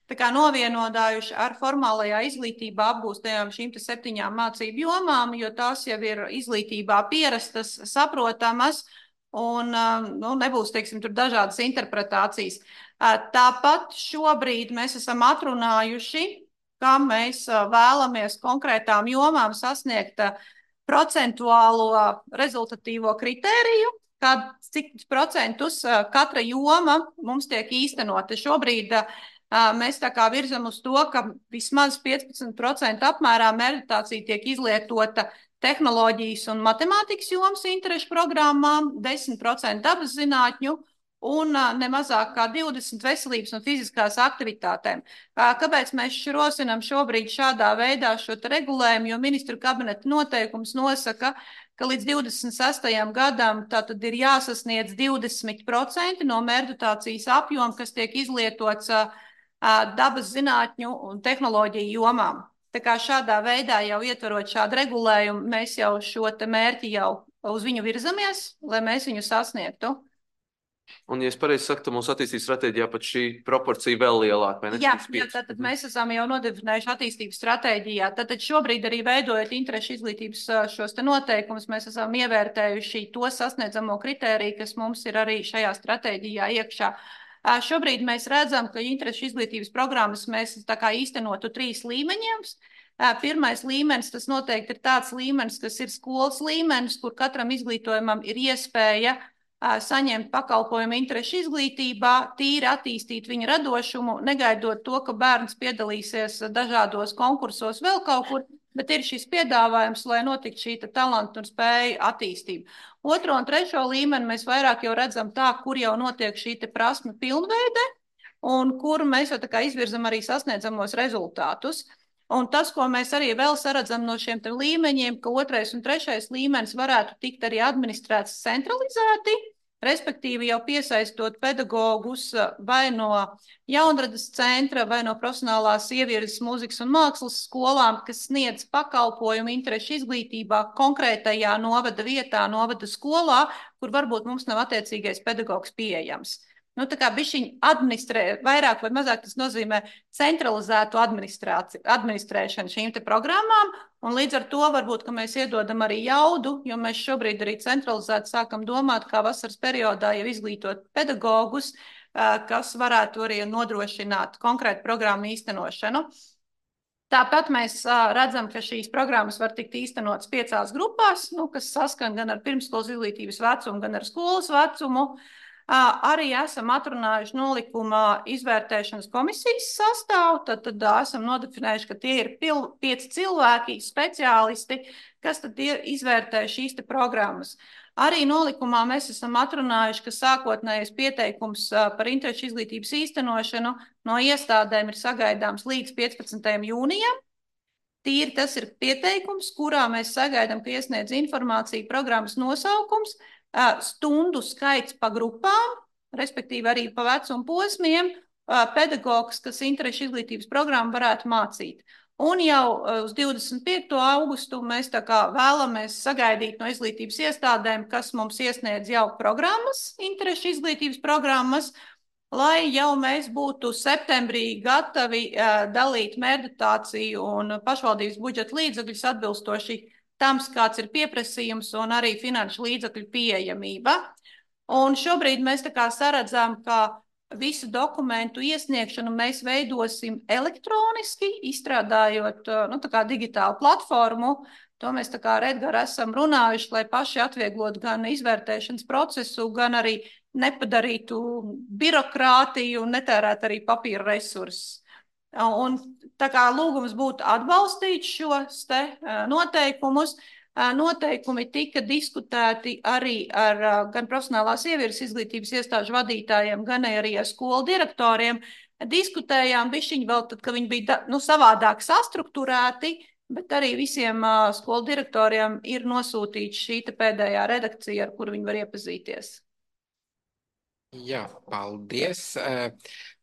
tā kā novienodājuši ar formālajā izglītībā apgūstajām šīm te septiņām mācību jomām, jo tās jau ir izglītībā pierastas, saprotamas un nu, nebūs, teiksim, tur dažādas interpretācijas. Tāpat šobrīd mēs esam atrunājuši, kā mēs vēlamies konkrētām jomām sasniegt procentuālo rezultatīvo kritēriju, kad cik procentus katra joma mums tiek īstenota. Šobrīd mēs tā kā virzam uz to, ka vismaz piecpadsmit procenti apmērā meditācija tiek izlietota tehnoloģijas un matemātikas jomas interešu programmām, desmit procenti dabas zinātņu un nemazāk kā divdesmit veselības un fiziskās aktivitātēm. Kāpēc mēs rosinām šobrīd šādā veidā šo regulējumu, jo ministru kabineta noteikums nosaka, ka līdz divdesmit sestajam gadam tātad ir jāsasniedz divdesmit procenti no meditācijas apjoma, kas tiek izlietots dabas zinātņu un tehnoloģiju jomām. Tā kā šādā veidā jau ietverot šādu regulējumu, mēs jau šo te mērķi jau uz viņu virzamies, lai mēs viņu sasniegtu. Un, ja es pareizi saku, tad mūsu attīstības stratēģijā pat šī proporcija vēl lielāka, vai ne? Jā, jā, tātad mēs esam jau nodefinējuši attīstības stratēģijā. Tātad šobrīd arī veidojot interešu izglītības šos te noteikumus, mēs esam ievērtējuši to sasniedzamo kritēriju, kas mums ir arī šajā stratēģijā iekšā. Šobrīd mēs redzam, ka interešu izglītības programmas mēs tā kā īstenotu trīs līmeņiem. Pirmais līmenis, tas noteikti ir tāds līmenis, kas ir skolas līmenis, kur katram izglītojumam ir iespēja saņemt pakalpojumu interešu izglītībā, tīri attīstīt viņa radošumu, negaidot to, ka bērns piedalīsies dažādos konkursos vēl kaut kur, bet ir šis piedāvājums, lai notiktu šī talanta un spēja attīstība. Otro un trešo līmeni mēs vairāk jau redzam tā, kur jau notiek šī prasme pilnveide un kur mēs jau tā kā izvirzam arī sasniedzamos rezultātus. Un tas, ko mēs arī vēl saredzam no šiem līmeņiem, ka otrais un trešais līmenis varētu tikt arī administrēts centralizēti, respektīvi jau piesaistot pedagogus vai no jaunradas centra vai no profesionālās ievirzes mūzikas un mākslas skolām, kas sniedz pakalpojumu interešu izglītībā konkrētajā novada vietā, novada skolā, kur varbūt mums nav attiecīgais pedagogs pieejams. nu, tā kā bišķiņ administrē, vairāk vai mazāk tas nozīmē centralizētu administrēšanu šīm te programmām, un līdz ar to varbūt, ka mēs iedodam arī jaudu, jo mēs šobrīd arī centralizēti sākam domāt, kā vasaras periodā jau izglītot pedagogus, kas varētu arī nodrošināt konkrētu programmu īstenošanu. Tāpat mēs redzam, ka šīs programmas var tikt īstenotas piecās grupās, nu, kas saskan gan ar pirmsskolas izglītības vecumu, gan ar skolas vecumu. Arī esam atrunājuši nolikumā izvērtēšanas komisijas sastāvu, tad, tad esam nodefinējuši, ka tie ir pil, pieci cilvēki, speciālisti, kas tad izvērtē šīs te programmas. Arī nolikumā mēs esam atrunājuši, ka sākotnējais pieteikums par interešu izglītības īstenošanu no iestādēm ir sagaidāms līdz piecpadsmitajam jūnijam. Tīri tas ir pieteikums, kurā mēs sagaidām, ka iesniedz informāciju programmas nosaukums, stundu skaits pa grupām, respektīvi arī pa vecumu posmiem, pedagogs, kas interešu izglītības programmu varētu mācīt. Un jau uz divdesmit piekto augustu mēs tā kā vēlamies sagaidīt no izglītības iestādēm, kas mums iesniedz jau programmas, interešu izglītības programmas, lai jau mēs būtu septembrī gatavi uh, dalīt mērdotāciju un pašvaldības budžeta līdzekļus atbilstoši tam, kāds ir pieprasījums un arī finanšu līdzekļu pieejamība. Un šobrīd mēs tā kā saredzam, ka visu dokumentu iesniegšanu mēs veidosim elektroniski, izstrādājot nu, tā kā digitālu platformu. To mēs tā kā ar Edgaru esam runājuši, lai paši atvieglotu gan izvērtēšanas procesu, gan arī nepadarītu birokrātiju un netērētu arī papīra resursus. Un tā kā lūgums būtu atbalstīt šos te noteikumus, noteikumi tika diskutēti arī ar gan profesionālās ievieres izglītības iestāžu vadītājiem, gan arī ar skolu direktoriem. Diskutējām bišķiņi vēl tad, ka viņi bija nu, savādāk sastrukturēti, bet arī visiem uh, skolu direktoriem ir nosūtīta šī pēdējā redakcija, ar kuru viņi var iepazīties. Jā, paldies.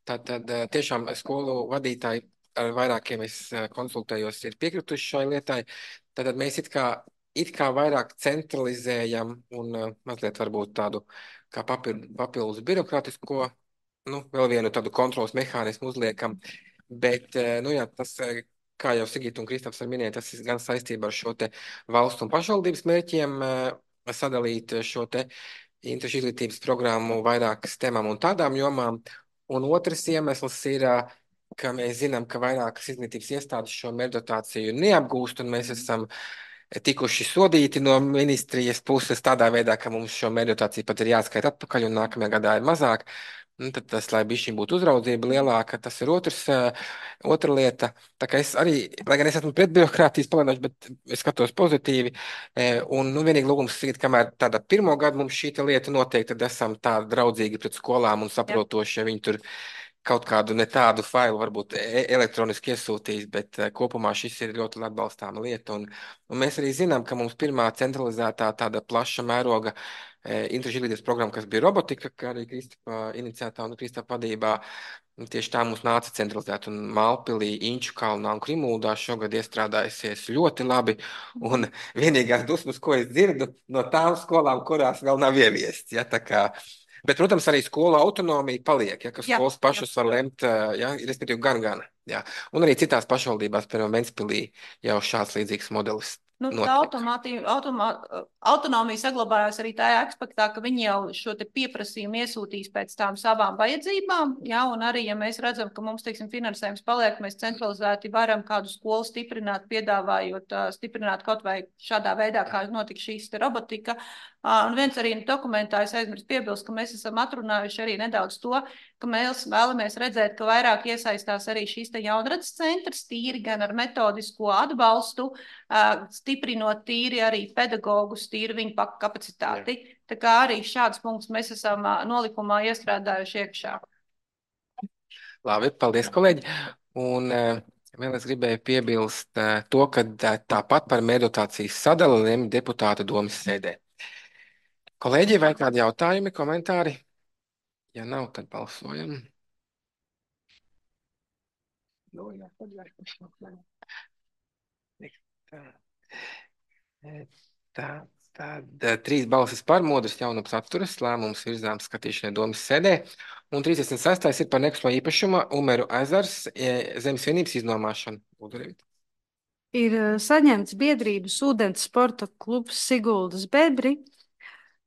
Tātad tiešām skolu vadītāji ar vairākiem es konsultējos ir piekrituši šai lietai. Tātad mēs it kā It kā vairāk centralizējam un uh, mazliet varbūt tādu kā papildu, papildus birokrātisko, nu, vēl vienu tādu kontrolas mehānismu uzliekam, bet, uh, nu jā, tas, kā jau Sigita un Kristofs ar minēja, tas ir gan saistībā ar šo te valstu un pašvaldības mērķiem uh, sadalīt šo te interešu izglītības programmu vairākas temām un tādām jomām, un otrs iemesls ir, uh, ka mēs zinām, ka vairākas izglītības iestādes šo mērdotāciju neapgūst, un mēs esam tikuši sodīti no ministrijas puses tādā veidā, ka mums šo mērdotāciju pat ir jāskaita atpakaļ un nākamajā gadā ir mazāk. Un tad tas, lai bišķiņ būtu uzraudzība lielāka, tas ir otrs, otra lieta. Tā kā es arī, lai gan es esmu pret birokrātijas palienošu, bet es skatos pozitīvi. Un, nu, vienīgi lūgums Sigita, kamēr tādā pirmo gadu mums šī lieta notiek, tad esam tā draudzīgi pret skolām un saprotoši, ja viņi tur kaut kādu ne tādu failu varbūt elektroniski iesūtīs, bet uh, kopumā šis ir ļoti atbalstāma lieta. Un, un mēs arī zinām, ka mums pirmā centralizētā tāda plaša mēroga e, interešu izglītības programma, kas bija robotika, kā arī Kristapa iniciētā un Kristapa vadībā, tieši tā mums nāca centralizēt. Un Mālpilī, Inču kalnā un Krimuldā šogad iestrādājusies ļoti labi. Un vienīgās dusmas, ko es dzirdu no tām skolām, kurās vēl nav ieviests. Ja, tā kā Bet, protams, arī skolu autonomija paliek, ja, ka skolas jā, pašas jā. var lemt, ja, respektīvi gan, gan. Ja. Un arī citās pašvaldībās, piemēram, Ventspilī jau šāds līdzīgs modelis. Nu, tā automā, autonomija saglabājās arī tajā aspektā, ka viņi jau šo te pieprasījumu iesūtīs pēc tām savām vajadzībām, ja, un arī, ja mēs redzam, ka mums, teiksim, finansējums paliek, mēs centralizēti varam kādu skolu stiprināt, piedāvājot, stiprināt kaut vai šādā veidā, kā notika šīs te robotika. Un viens arī dokumentā es aizmirst piebilst, ka mēs esam atrunājuši arī nedaudz to, ka mēs vēlamies redzēt, ka vairāk iesaistās arī šīs te jaunradas centrs, tīri gan ar metodisko atbalstu, stiprinot tīri arī pedagogus, tīri viņu kapacitāti. Jā. Tā kā arī šāds punkts mēs esam nolikumā iestrādājuši iekšā. Labi, paldies, kolēģi. Un vēl es gribēju piebilst to, ka tāpat par mērdotācijas sadali lemj deputāta domas sēdē. Kolēģi, vai kādi jautājumi, komentāri? Ja nav, tad balsojam. Tā, tad trīs balsis par, Modris Jaunaps atturas, lēmums virzām skatīšanai domas sēdē. Un trīsdesmit sestais ir par nekustamo īpašumu Umeru ezers zemes vienības iznomāšanu. Lūdzu, Revita. Ir saņemts biedrības ūdens sporta klubs Siguldas Bebri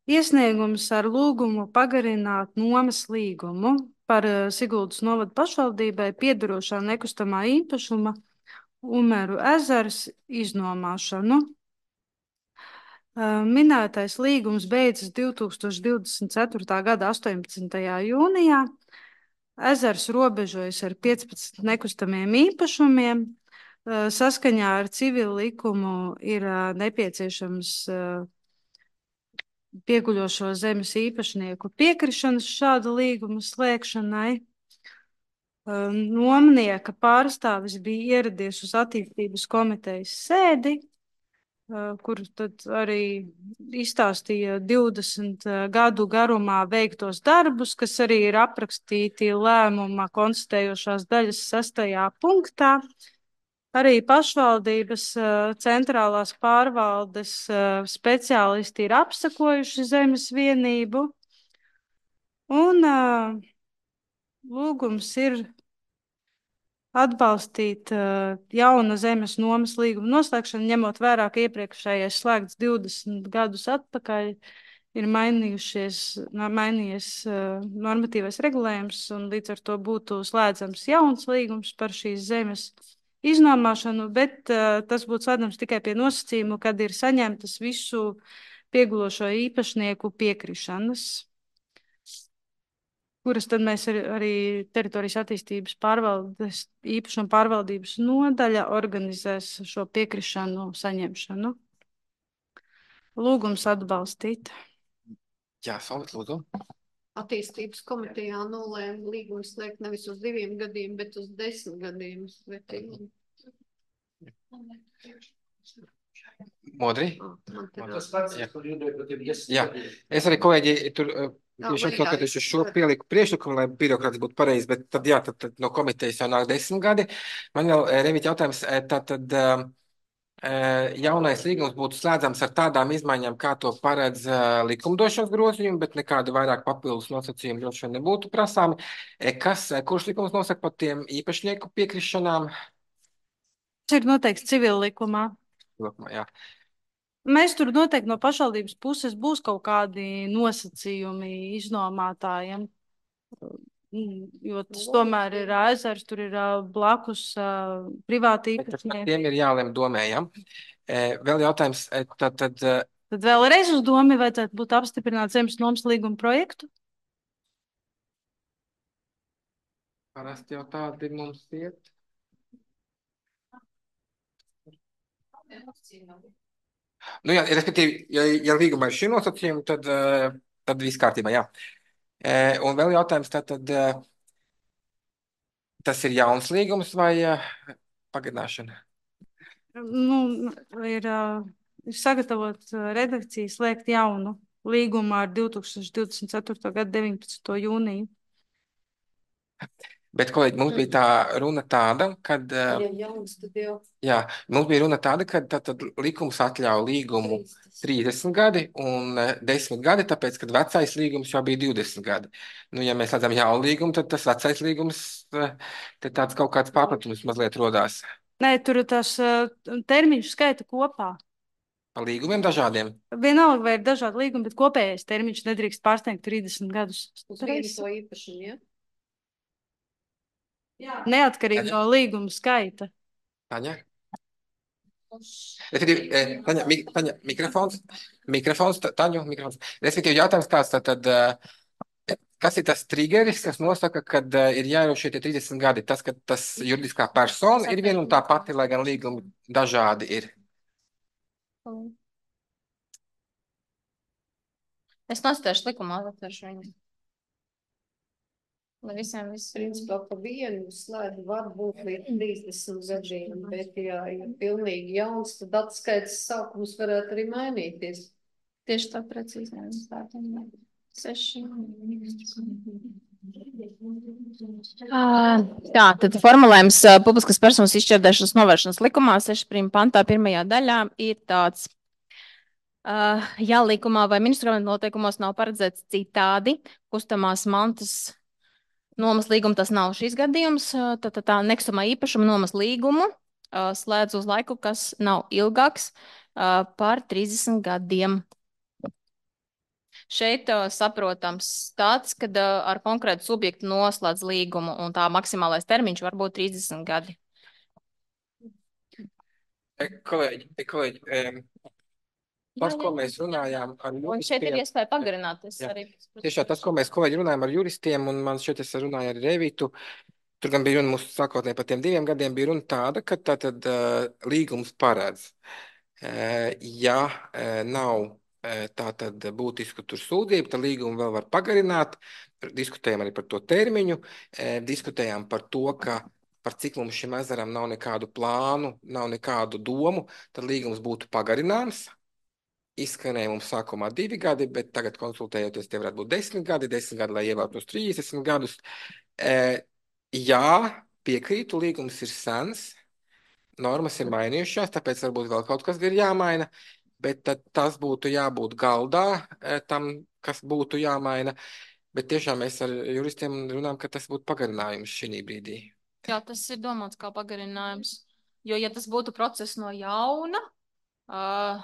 iesniegums ar lūgumu pagarināt nomas līgumu par Siguldas novada pašvaldībai piederošā nekustamā īpašuma Umeru ezers iznomāšanu. Minētais līgums beidzas divi tūkstoši divdesmit ceturtā gada astoņpadsmitajā jūnijā. Ezers robežojas ar piecpadsmit nekustamiem īpašumiem. Saskaņā ar civilu likumu ir nepieciešams pieguļošo zemes īpašnieku piekrišanas šāda līguma slēgšanai. Nomnieka pārstāvis bija ieradies uz attīstības komitejas sēdi, kur tad arī izstāstīja divdesmit gadu garumā veiktos darbus, kas arī ir aprakstīti lēmuma konstatējošās daļas sastajā punktā. Arī pašvaldības centrālās pārvaldes speciālisti ir apsakojuši zemes vienību, un lūgums ir atbalstīt jauna zemes nomas līguma noslēgšanu, ņemot vērā, ka iepriekšējais slēgts divdesmit gadus atpakaļ ir mainījušies, mainījies normatīvais regulējums, un līdz ar to būtu slēdzams jauns līgums par šīs zemes iznomāšanu, bet uh, tas būtu slēdzams tikai pie nosacījumu, kad ir saņemtas visu piegulošo īpašnieku piekrišanas, kuras tad mēs ar, arī teritorijas attīstības pārvaldes, īpašuma pārvaldības nodaļa organizēs šo piekrišanu saņemšanu. Lūgums atbalstīt. Jā, Solvit, lūdzu. Attīstības komitejā nolēma līgumu slēgt nevis uz diviem gadiem, bet uz desmit gadiem. Modri? Tas pats, kur jūdēju, ka tev iesaka. Jā, es arī, kolēģi, tur tieši atkārtoties uz šo pieliku priekšlikumu, lai birokrāts būtu pareizi, bet tad, jā, tad, tad no komitejas jau nāk desmit gadi. Man vēl, Revit, jautājums, tad, tad jaunais līgums būtu slēdzams ar tādām izmaiņām, kā to paredz likumdošanas grozījumi, bet nekādu vairāk papildus nosacījumu droši vien nebūtu prasāmi. Kas, kurš likums nosaka par tiem īpašnieku piekrišanām? Tas ir noteikts civil likumā. Likumā, jā. Mēs tur noteikti no pašvaldības puses būs kaut kādi nosacījumi iznomātājiem, jo tas tomēr ir ezers, tur ir blakus privāti īpašnieki. Tiem ir jālem domējam. Vēl jautājums, tad... Tad, tad vēlreiz uz domi vajadzētu būt apstiprināt zemes nomas līguma projektu? Parasti jau tādi mums iet. Nu jā, respektīvi, ja, ja līgumā ir šī nosacījuma, tad, tad viss kārtībā, jā. Un vēl jautājums, tad, tad tas ir jauns līgums vai pagarināšana? Nu, ir, ir sagatavot redakciju slēgt jaunu līgumu ar divi tūkstoši divdesmit ceturtā gada deviņpadsmito jūniju. Bet, kolēģi, mums bija tā runa tāda, kad... Ja jauns, tad jau... Jā, mums bija runa tāda, ka tad, tad likums atļauj līgumu trīsdesmit gadi un desmit gadi, tāpēc, kad vecais līgums jau bija divdesmit gadi. Nu, ja mēs redzam jaunu līgumu, tad tas vecais līgums, te tāds kaut kāds pārpratums mazliet rodās. Nē, tur tas termiņš skaita kopā. Pa līgumiem dažādiem? Vienalga, vai ir dažādi līgumi, bet kopējais termiņš nedrīkst pārsniegt trīsdesmit gadus. Uz vienu to īpašumu, ja? Jā. Neatkarīgi no līguma skaita. Taņa? Respektīvi, Taņa, mik, Taņa, mikrofons, mikrofons, Taņu, mikrofons. Respektīvi, jautājums tāds, tad, tad, kas ir tas triggeris, kas nosaka, kad ir jāievēro šie trīsdesmit gadi? Tas, ka tas juridiskā persona ir viena un tā pati, lai gan līgumi dažādi ir. Es nostāšu likumā, atvēršu viņu. Lai visiem viss. Principā pa vienu slēdu var būt līdz trīsdesmit gadiem, bet ja ir pilnīgi jauns, tad atskaits sākums varētu arī mainīties. Tieši tā precīzi. Seši. Tā, tad formulējums publiskas personas izšķērdēšanas novēršanas likumā seši prīm pantā pirmajā daļā ir tāds. Uh, ja likumā vai ministru noteikumos nav paredzēts citādi, kustamās mantas Nomas līguma tas nav šis gadījums. Tā, tā, tā nekustamā īpašuma nomas līgumu uh, slēdz uz laiku, kas nav ilgāks uh, par trīsdesmit gadiem. Šeit uh, saprotams tāds, kad uh, ar konkrētu subjektu noslēdz līgumu un tā maksimālais termiņš var būt trīsdesmit gadi. E, kolēģi, e, kolēģi, um, tas, ko mēs runājām ar Un šeit ir juristiem, iespēja pagarināt. Es jā. arī... Tiešām tas, ko mēs kolēģi runājām ar juristiem, un man šeit es runāju ar Revitu, tur gan bija runa mūsu sākotnēji par tiem diviem gadiem, bija runa tāda, ka tātad uh, līgums paredz, uh, ja uh, nav uh, tātad būtisku tur sūdzību, tad līgumu vēl var pagarināt. Diskutējām arī par to termiņu, uh, diskutējām par to, ka par cik mums šim ezeram nav nekādu plānu, nav nekādu domu, tad līgums būtu pagarināms. Izskanēja mums sākumā divi gadi, bet tagad konsultējoties, tie varētu būt desmit gadi, desmit gadi, lai ievēlētu uz trīsdesmit gadus. E, jā, piekrītu, līgums ir sens, normas ir mainījušās, tāpēc varbūt vēl kaut kas ir jāmaina, bet tad tas būtu jābūt galdā e, tam, kas būtu jāmaina. Bet tiešām mēs ar juristiem runājam, ka tas būtu pagarinājums šī brīdī. Jā, tas ir domāts kā pagarinājums. Jo, ja tas būtu process no jauna, uh,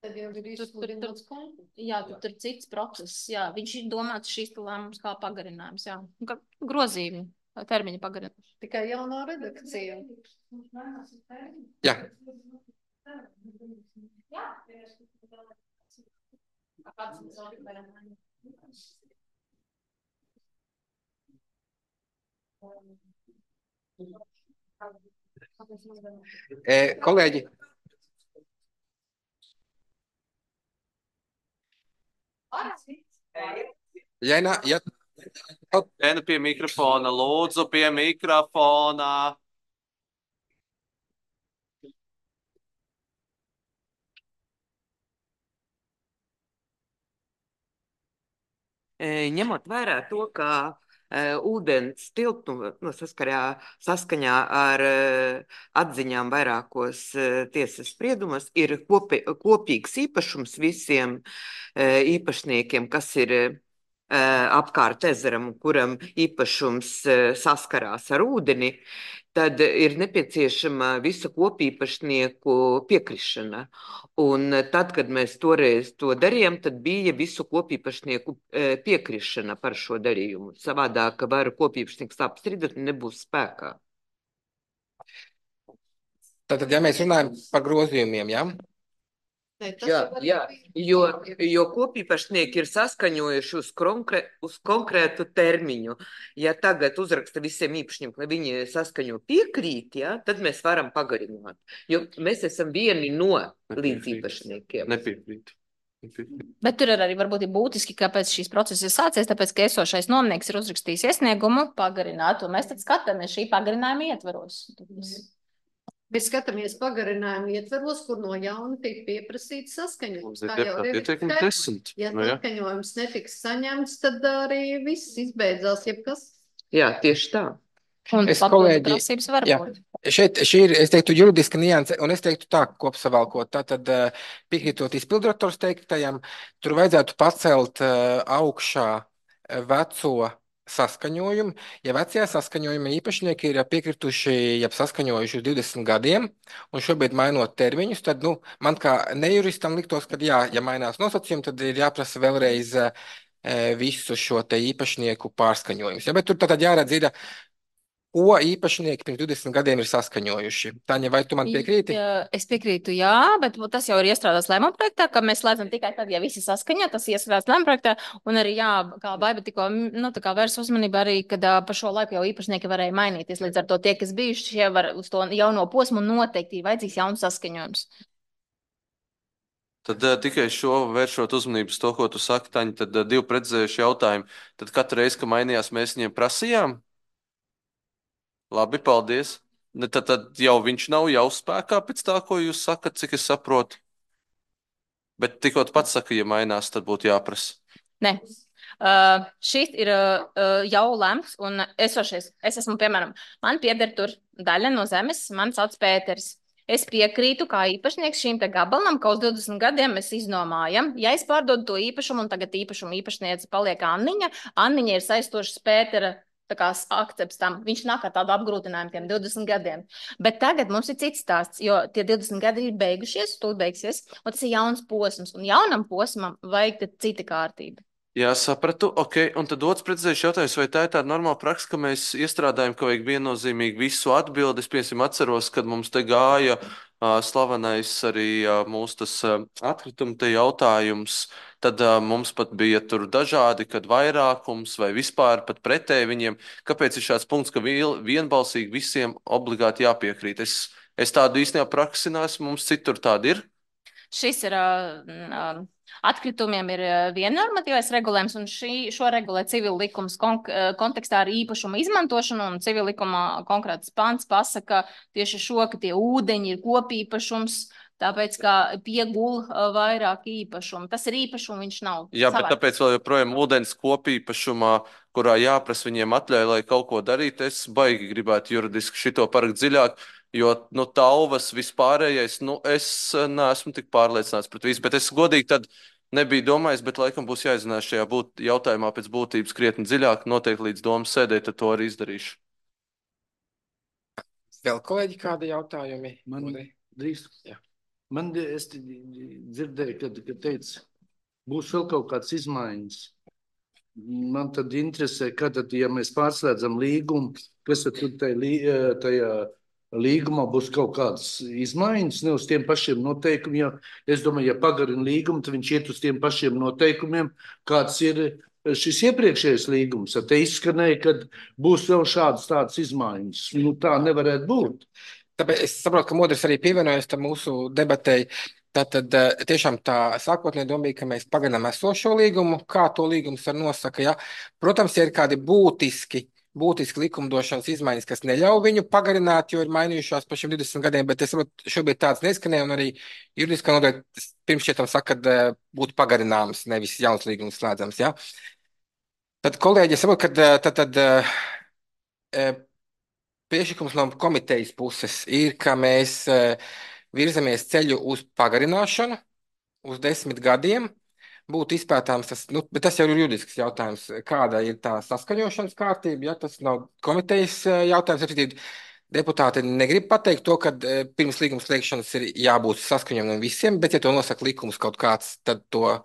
Tad jau ir izsludināts konkurss. Jā, tur ir cits process. Jā, viņš ir domāts šīs lēmums kā pagarinājums. Jā, kā grozījumi, termiņa pagarinājums. Tikai jaunā redakcija. Jā. E, kolēģi. Ja, nā, ja... Ēna pie mikrofona, lūdzu, pie mikrofona. Ņemot vērā to, ka uh, ūdens tilpnu nu, saskarā, saskaņā ar uh, atziņām vairākos uh, tiesas spriedumos ir kopi, kopīgs īpašums visiem uh, īpašniekiem, kas ir uh, apkārt ezeram, kuram īpašums uh, saskarās ar ūdeni, tad ir nepieciešama visa kopīpašnieku piekrišana. Un tad, kad mēs toreiz to darījām, tad bija visu kopīpašnieku piekrišana par šo darījumu. Savādāk var kopīpašnieks apstrīdēt un nebūs spēkā. Tātad, ja mēs runājam par grozījumiem, jā? Ne, jā, jā, jo, jo kopīpašnieki ir saskaņojuši uz, konkrē, uz konkrētu termiņu. Ja tagad uzraksta visiem īpašniekiem, lai viņi saskaņo piekrīt, ja, tad mēs varam pagarināt. Jo mēs esam vieni no līdzīpašniekiem. Nepiekrīt. Bet tur ir arī varbūt ir būtiski, kāpēc šīs procesas ir sācies, tāpēc, ka esošais nomnieks ir uzrakstījis iesniegumu pagarināt, un mēs tad skatāmies šī pagarinājuma ietvaros. Mēs skatāmies pagarinājumu ietveros, kur no jauna tiek pieprasīts saskaņojums. Tā jau ir desmit. Ja Nu, jā. saskaņojums netiks saņemts, tad arī viss izbeidzās, jebkas. Jā, tieši tā. Un Es, papildu kolēģi, prasības var jā, būt. šeit šī ir, es teiktu, juridiska nianse, un es teiktu tā, kopsavalkot, tātad uh, piekrītot izpildirektors teiktajam, tur vajadzētu pacelt uh, augšā uh, veco saskaņojumu. Ja vecajā saskaņojuma īpašnieki ir piekrituši, ja saskaņojuši uz divdesmit gadiem, un šobrīd mainot termiņus, tad, nu, man kā nejuristam liktos, ka jā, ja mainās nosacījumi, tad ir jāprasa vēlreiz uh, visu šo te īpašnieku pārskaņojumus. Ja, bet tur tad jāredz ir, ko īpašnieki pirms divdesmit gadiem ir saskaņojuši. Tāņa, vai tu man piekrīti? Jā, es piekrītu, jā, bet tas jau ir iestrādāts lēmuma projektā, ka mēs slēdzam tikai tad, ja visi saskaņo, tas iestrādāts lēmuma projektā, un arī, jā, kā Baiba tikko, nu, tā kā vērs uzmanību arī, kad uh, pa šo laiku jau īpašnieki varēja mainīties, līdz ar to tie, kas bijuši, šie var uz to jauno posmu noteikti vajadzīgs jauns saskaņojums. Tad uh, tikai šo vēršot uzmanību uz to, ko tu saki, Taņa, tad uh, divi precizējuši jautājumi. Tad katru reizi, ka mainījās, mēs viņiem prasījām? Labi, paldies. Ne, tad, tad jau viņš nav jau spēkā pēc tā, ko jūs sakat, cik es saprotu. Bet tikko pats saka, ja mainās, tad būtu jāprasa. Nē. Uh, šis ir uh, jau lemts, un esošies, es esmu, piemēram, man pieder tur daļa no zemes, man sauc Pēters. Es piekrītu kā īpašnieks šīm te gabalam, ka uz divdesmit gadiem mēs iznomājam. Ja es pārdodu to īpašumu, un tagad īpašumu īpašniece paliek Anniņa, Anniņa ir saistošas Pētera tā kā akcepts tam. Viņš nāk ar tādu apgrūtinājumu tiem divdesmit gadiem. Bet tagad mums ir cits stāsts, jo tie divdesmit gadi ir beigušies, tūlīt beigsies, un tas ir jauns posms. Un jaunam posmam vajag tad cita kārtība. Jā, sapratu. Ok, un tad otrs precizējuši jautājums, vai tā ir tāda normāla praksa, ka mēs iestrādājam, ka vajag viennozīmīgi visu atbildi. Es, piemēram, atceros, kad mums te gāja uh, slavenais arī uh, mūsu tas uh, atkrituma te jautājums, tad uh, mums pat bija tur dažādi, kad vairākums vai vispār pat pretēji viņiem. Kāpēc ir šāds punkts, ka viel, vienbalsīgi visiem obligāti jāpiekrīt? Es, es tādu īstenībā praksi neesmu, mums citur tāda ir. Šis ir uh, atkritumiem ir viena normatīvais regulējums, un šī, šo regulē civil likums kon kontekstā ar īpašuma izmantošanu, un civil likuma konkrēts pants pasaka tieši šo, ka tie ūdeņi ir kopīpašums, tāpēc, ka piegul vairāk īpašumu. Tas ir īpašumu, viņš nav. Jā, bet savāds. tāpēc vēl joprojām ūdens kopīpašumā, kurā jāprasa viņiem atļauj, lai kaut ko darīt, es baigi gribētu juridiski šito parakt dziļāk. Jo, nu, tauvas vispārējais, nu, es neesmu tik pārliecināts pret visu, bet es godīgi tad nebiju domājis, bet laikam būs jāizzinās šajā būt, jautājumā pēc būtības krietni dziļāk, noteikti līdz domas sēdē, tad to arī izdarīšu. Vēl kolēģi kādi jautājumi? Man drīz. Jā. Man es dzirdēju, kad, kad teica, būs vēl kaut kāds izmaiņas. Man tad interesē, kad tad, ja mēs pārslēdzam līgumu, kas tad tur tajā, tajā līgumā būs kaut kādas izmaiņas, ne uz tiem pašiem noteikumiem. Ja, es domāju, ja pagarina līgumu, tad viņš iet uz tiem pašiem noteikumiem, kāds ir šis iepriekšējais līgums. Te izskanēja, ka būs vēl šādas tādas izmaiņas. Nu, tā nevarētu būt. Tāpēc es saprotu, ka Modris arī pievienojas tam mūsu debatei. Tātad tiešām tā sākotnēji doma bija, ka mēs pagarinām esošo līgumu, kā to līgums var nosaka. Ja? Protams, ja ir kādi būtiski būtiski likumdošanas izmaiņas, kas neļauj viņu pagarināt, jo ir mainījušās par šiem divdesmit gadiem, bet es saprotu, šobrīd tāds neskanēja, un arī juridiskā nodaļa pirms šietam saka, ka būtu pagarināms, nevis jauns līgums slēdzams. Ja? Tad, kolēģi, es saprotu, ka tad, tad priekšlikums no komitejas puses ir, ka mēs virzamies ceļu uz pagarināšanu uz desmit gadiem. Būtu izpētāms tas, nu, bet tas jau ir juridisks jautājums, kāda ir tā saskaņošanas kārtība, ja tas nav komitejas jautājums. Deputāti negrib pateikt to, ka pirms līguma slēgšanas ir jābūt saskaņojumam visiem, bet ja to nosaka likums kaut kāds, tad to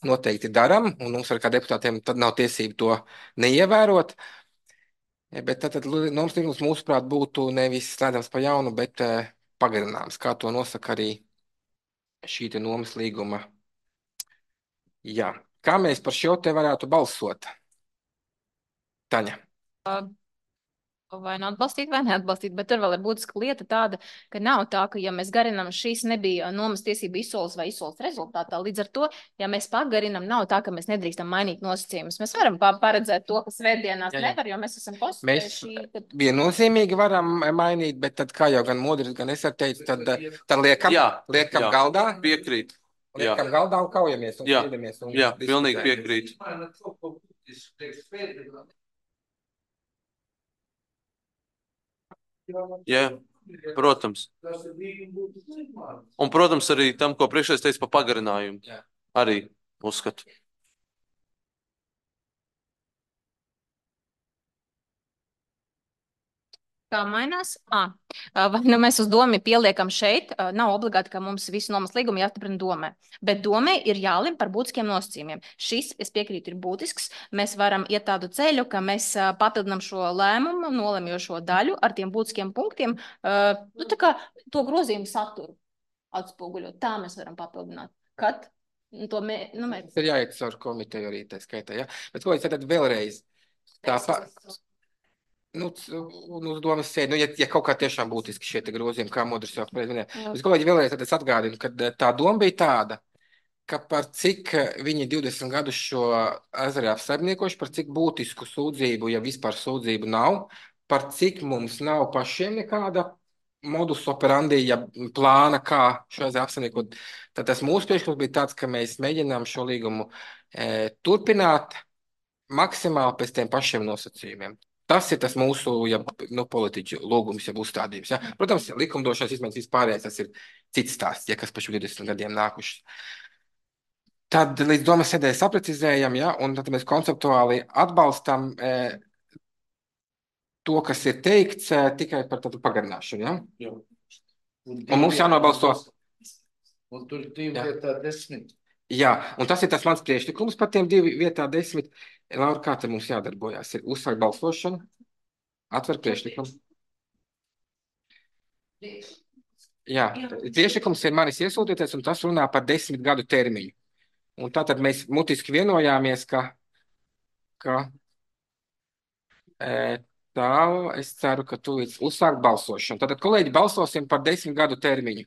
noteikti daram, un mums ar kā deputātiem tad nav tiesība to neievērot. Bet tad, tad nomas līgums mūsuprāt būtu nevis slēdzams pa jaunu, bet pagarināms, kā to nosaka arī šī te nomas līguma. Jā. Kā mēs par šo te varētu balsot? Taņa. Vai nu atbalstīt, vai neatbalstīt, bet tur vēl ir būtiska lieta tāda, ka nav tā, ka, ja mēs garinām, šīs nebija nomas tiesība izsoles vai izsoles rezultātā. Līdz ar to, ja mēs pagarinām, nav tā, ka mēs nedrīkstam mainīt nosacījumus. Mēs varam paredzēt to, ka svētdienās jā, jā. nevar, jo mēs esam postulējuši. Mēs tad... viennozīmīgi varam mainīt, bet tad, kā jau gan Modris, gan es ar teicu, tad, tad liekam, jā, liekam jā, galdā. Piekrīt. Liekam jā. galdā un kaujamies un jā, strīdamies. Un jā, pilnīgi piekrīt. Jā, protams. Un, protams, arī tam, ko priekšējais teica par pagarinājumu. Jā. Arī uzskatu. Kā mainās? À, vai nu mēs uz domu pieliekam šeit, nav obligāti, ka mums visu nomas līgumu jāstiprina domē, bet domē ir jālim par būtiskiem nosacījumiem. Šis, es piekrītu, ir būtisks. Mēs varam iet tādu ceļu, ka mēs papildinām šo lēmumu, nolemjošo daļu ar tiem būtiskiem punktiem, nu, tā kā to grozījumu saturu atspoguļot. Tā mēs varam papildināt. Kad? To mē, nu, mēs... Tas ir jāiet caur komiteju arī tā skaitā, ja? Bet ko es tad vēlreiz? Tāpā... Nu, uz domas sēdi, nu, ja, ja kaut kā tiešām būtiski šie te grozījumi, kā Modris jau minēja. Es kolēģi vēlreiz tad es atgādinu, ka tā doma bija tāda, ka par cik viņi divdesmit gadus šo ezeru apsaimniekoši, par cik būtisku sūdzību, ja vispār sūdzību nav, par cik mums nav pašiem nekāda modus operandi, ja plāna, kā šo ezeru apsaimniekot. Tad tas mūsu priekšlikums bija tāds, ka mēs mēģinām šo līgumu e, turpināt maksimāli pēc tiem pašiem nosacījumiem. Tas ir tas mūsu ja, nu, politiķu lūgums, ja uzstādījums. Ja. Protams, likumdošanas izmaiņas vispārējais, tas ir cits stāsts, ja kas pa šiem divdesmit gadiem nākuši. Tad līdz domas sēdē saprecizējam, ja, un tad mēs konceptuāli atbalstam e, to, kas ir teikts, uh, tikai par tādu pagarināšanu. Ja? Jā. Un Un mums jānobalso. Un tur ir divi Jā. vietā desmit. Jā, un tas ir tas mans priekšlikums par tiem divi vietā desmit. Laura, kā te mums jādarbojās? Ir uzsākt balsošanu, atver priekšlikumu. Jā, priekšlikums ir manis iesūtīties, un tas runā par desmit gadu termiņu. Un tātad mēs mutiski vienojāmies, ka, ka e, tā, es ceru, ka tu uzsākt balsošanu. Tātad, kolēģi, balsosim par desmit gadu termiņu.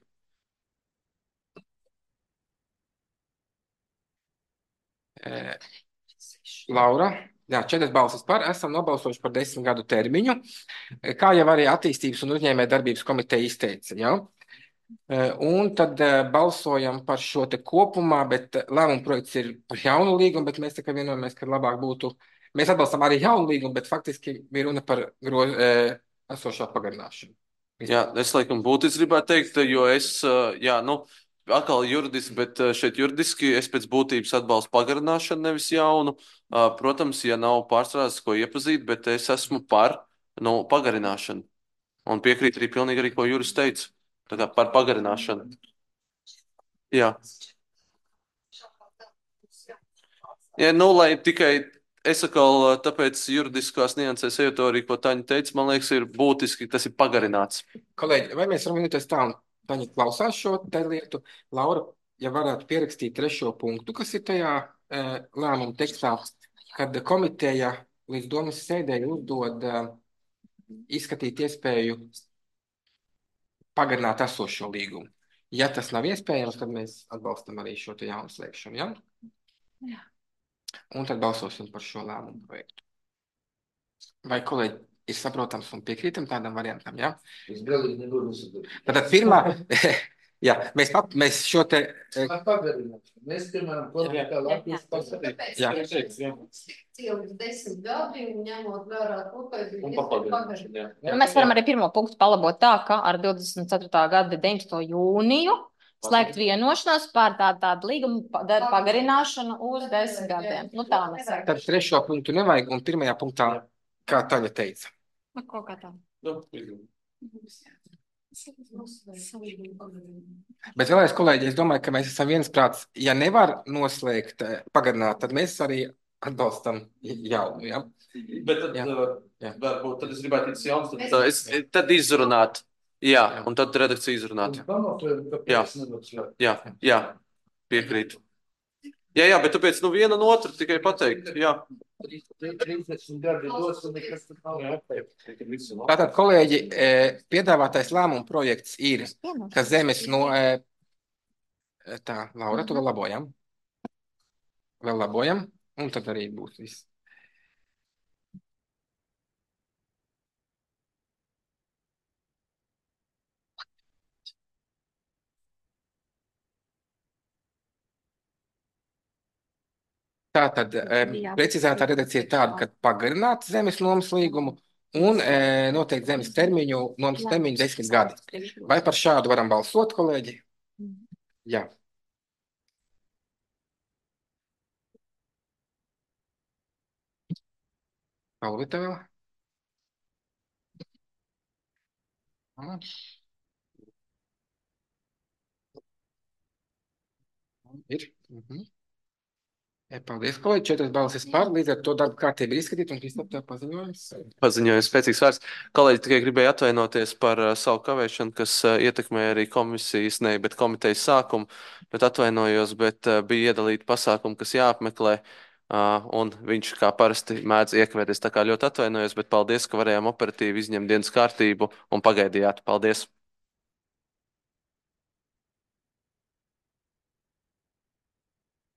E, Laura, jā, četras balsis par, esam nobalsojuši par desmit gadu termiņu, kā jau arī attīstības un uzņēmē darbības komiteja izteica, jā. Un tad balsojam par šo te kopumā, bet lēmuma projekts ir par jaunu līgumu, bet mēs tikai vienojamies, ka labāk būtu, mēs atbalstam arī jaunu līgumu, bet faktiski bija runa par gro, e, esošā pagarināšanu. Jā, es laikam būtiski gribētu teikt, jo es, jā, nu, atkal juridiski, bet šeit juridiski es pēc būtības atbalstu pagarināšanu, nevis jaunu. Protams, ja nav pārstrādes, ko iepazīt, bet es esmu par, nu, pagarināšanu. Un piekrīt arī pilnīgi arī, ko Juris teica. Tā kā par pagarināšanu. Jā. Ja, nu, lai tikai es atkal tāpēc juridiskās niansēs eju to arī, ko Taņa teica, man liekas, ir būtiski, tas ir pagarināts. Kolēģi, vai mēs varam vienoties tā, un Taņa klausās šo te lietu? Laura, ja varētu pierakstīt trešo punktu, kas ir tajā e, lēmuma tekstā, kad komiteja līdz domas sēdēji uzdod e, izskatīt iespēju pagarināt esošo līgumu. Ja tas nav iespējams, tad mēs atbalstam arī šo te jaunu slēgšanu, ja? Jā. Un tad balsosim par šo lēmumu projektu. Vai kolēģi ir saprotams un piekrītam tādam variantam, ja? Es galīgi nebūtu nesaprotu. Tātad pirmā, jā, mēs, pap, mēs šo te... Par pagarināšanu. Mēs, piemēram, politikā Latvijas pagarināšanu. Jā. Cilvēks desmit gadi un ņemot vērā to, ka ir pagarināšana. Nu, mēs varam arī pirmo punktu palabot tā, ka ar divdesmit ceturtā gada deviņpadsmito jūniju slēgt vienošanos par tādu, tādu līgumu pagarināšanu uz desmit gadiem. Nu, tā mēs sakam. Tad trešo punktu nevajag, un pirmajā punktā, kā Taņa teica. Nu, kaut kā tā. Bet vēlreiz, kolēģi, es domāju, ka mēs esam viensprāts, ja nevar noslēgt, pagarināt, tad mēs arī atbalstam jaunu, ja? Bet tad, Jā. jā. Varbūt, tad es gribētu teikt jauns, tad, es, tad izrunāt. Jā, jā, un tad redakcija izrunāt. Jā, jā, jā, piekrīt. Jā, jā, bet tāpēc, nu, viena no otru tikai pateikt, jā. Tātad, kolēģi, piedāvātais lēmuma projekts ir, ka zemes no... Tā, Laura, tu vēl labojam? Vēl labojam, un tad arī būs viss. Tātad precizētā redakcija ir tāda, ka pagarināt zemes nomas līgumu un e, noteikti zemes termiņu, nomas termiņu desmit gadi. Vai par šādu varam balsot, kolēģi? Jā. Palvita vēl? Ir. Mhm. Paldies, kolēģi. Četras balsis par. Līdz ar to darba kārtība ir izskatīta un Kristap tev paziņojums. Paziņojums spēcīgs vārds. Kolēģi, tikai gribēju atvainoties par uh, savu kavēšanu, kas uh, ietekmēja arī komisijas, ne, bet komitejas sākumu, bet atvainojos, bet uh, bija iedalīti pasākumi, kas jāapmeklē, uh, un viņš kā parasti mēdz iekavēties. Tā kā ļoti atvainojos, bet paldies, ka varējām operatīvi izņemt dienas kārtību un pagaidījāt. Paldies!